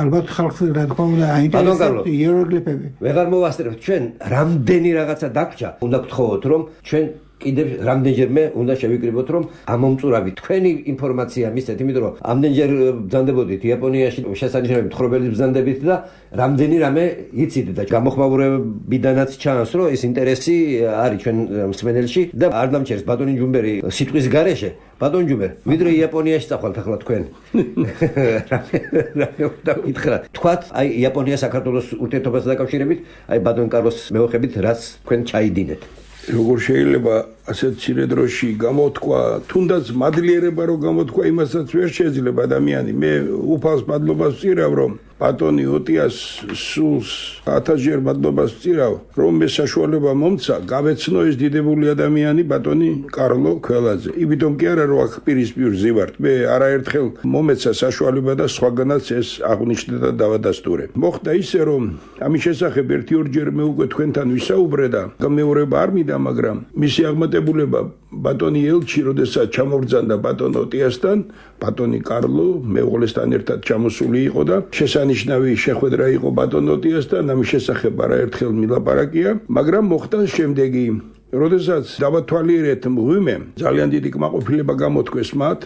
ალბათ ხალხს რა თქმა უნდა აინტერესებს იეროგლიფები. ვეღარ მოვასწრებთ ჩვენ რამდენი რაღაცა დაგვრჩა. უნდა გთხოვოთ რომ ჩვენ კიდევ რამდენჯერმე უნდა შევიკრიბოთ რომ ამომწურავი თქვენი ინფორმაცია მისცეთ, იმიტომ რომ ამდენჯერ ბრძანდებოდით იაპონიაში შესანიშნავი მთხრობელის ბრძანდებით და რამდენი რამე იცით და გამოხმაურებიდანაც ჩანს რომ ეს ინტერესი არის ჩვენ მსმენელში და არ დამჩერს ბატონი ჯუმბერი სიტყვის გარეშე. ბატონ ჯუმბერ, ვიდრე იაპონიაში წახვალთ ახლა თქვენ. რამე უნდა გითხრათ. თქვათ აი იაპონია საქართველოს ურთიერთობასთან დაკავშირებით, აი ბატონ კარლოს მეუხებით რაც თქვენ ჩაიდინეთ. როგორ შეიძლება ასეთ მცირე დროში გამოთქვა, თუნდაც მადლიერება რომ გამოთქვა, იმასაც ვერ შეიძლება ადამიანი. მე უფალს მადლობას ვწირავ, რომ ბატონი ოტიას სულს ათასჯერ მადლობას ვწირავ, რომ მე საშუალება მომცა გავეცნო ეს დიდებული ადამიანი ბატონი კარლო ქველაძე. იმიტომ კი არა რომ აქ პირისპირ ზივართ, მე არაერთხელ მომეცა საშუალება და სხვაგანაც ეს აღნიშნე და დავადასტურე. მოხდა ისე რომ ამის შესახებ ერთი ორჯერ მე უკვე თქვენთან ვისაუბრე და გამეორება არ მინდა, მაგრამ მისი აღმატებულება ბატონი ელჩი როდესაც ჩამობრძანდა ბატონ ოტიასთან, ბატონი კარლო მეუღლესთან ერთად ჩამოსული იყო და შესანიშნავი შეხვედრა იყო ბატონ ოტიასთან, ამის შესახებ არაერთხელ მილაპარაკია, მაგრამ მოხდა შემდეგი. როდესაც დავათვალიერეთ მღვიმემ, ძალიან დიდი კმაყოფილება გამოთქვეს მათ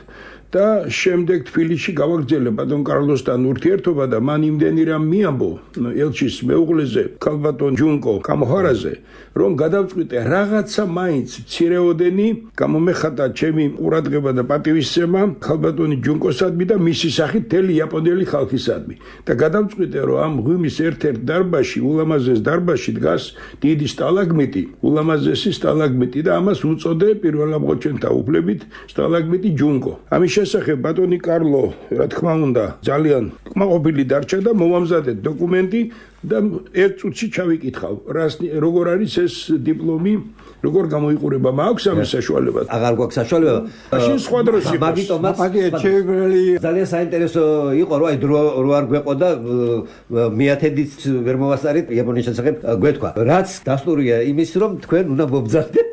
და შემდეგ თბილისში გავაგრძელე ბატონ კარლოსთან ურთიერთობა და მან იმდენი რამ მიამბო ელჩის მეუღლეზე, ქალბატონ ჯუნკო კამოჰარაზე, რომ გადავწყვიტე რაღაცა მაინც მცირეოდენი გამომეხატა ჩემი ყურადღება და პატივისცემა ქალბატონი ჯუნკოსადმი და მისი სახით მთელი იაპონელი ხალხისადმი და გადავწყვიტე, რომ ამ მღვიმის ერთ-ერთ დარბაზში, ულამაზეს დარბაზში დგას დიდი სტალაგმიტი, ულამაზესი სტალაგმიტი და ამას უწოდე პირველ ამბოჩენთა უფლებით სტალაგმიტი ჯუნკო. ამის შესახებ ბატონი კარლო, რა თქმა უნდა, ძალიან კმაყოფილი დარჩა და მომამზადე დოკუმენტი და ერთ წუთში ჩავიკითხავ, როგორ არის ეს დიპლომი, როგორ გამოიყურება, მაქვს ამის საშუალება? აღარ გვაქვს საშუალება. მაშინ სხვა დროს იყოს. მაგიტომაც ჩემი ძალიან საინტერესო იყო, რომ აი დრო რო არ გვეყო და მეათედიც ვერ მოვასწარით იაპონიის შესახებ გვეთქვა. რაც დასტურია იმის, რომ თქვენ უნდა მობრძანდეთ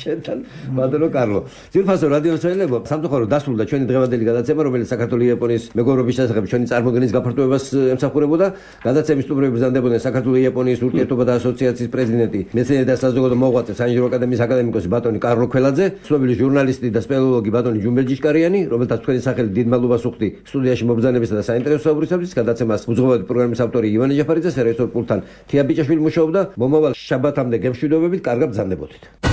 ჩვენთან ბატონო კარლო. ძირფასო რადიო მსმენელებო, სამწუხარო დასრულდა ჩვენი დღევანდელი გადაცემა, რომელიც საქართველოს იაპონიის მეგობრობის შესახებ ჩვენი წარმოდგენის გაფართოებას ემსახურებოდა. გადაცემის სტუმრები ბრძანდებოდნენ საქართველოს იაპონიის ურთიერთობა და ასოციაციის პრეზიდენტი, მეცნიერი და საზოგადო მოღვაწე საინჟინრო აკადემიის აკადემიკოსი ბატონი კარლო ქველაძე, ცნობილი ჟურნალისტი და სპელოლოგი ბატონი ჯუმბელ ჯიშკარიანი, რომელთაც თქვენი სახელი დიდ მადლობას ვუხდი სტუდიაში მობრძანებისა და საინტერესო საუბრისათვის. გადაცემას უძღვებოდი პროგრამის ავტორი ივანე ჯაფარიძე, სერვისორ პულტთან თია ბიჭაშვილი მუშაობდა. მომავალ შაბათამდე გემშვიდობებით, კარგად ბრძანდებოდით.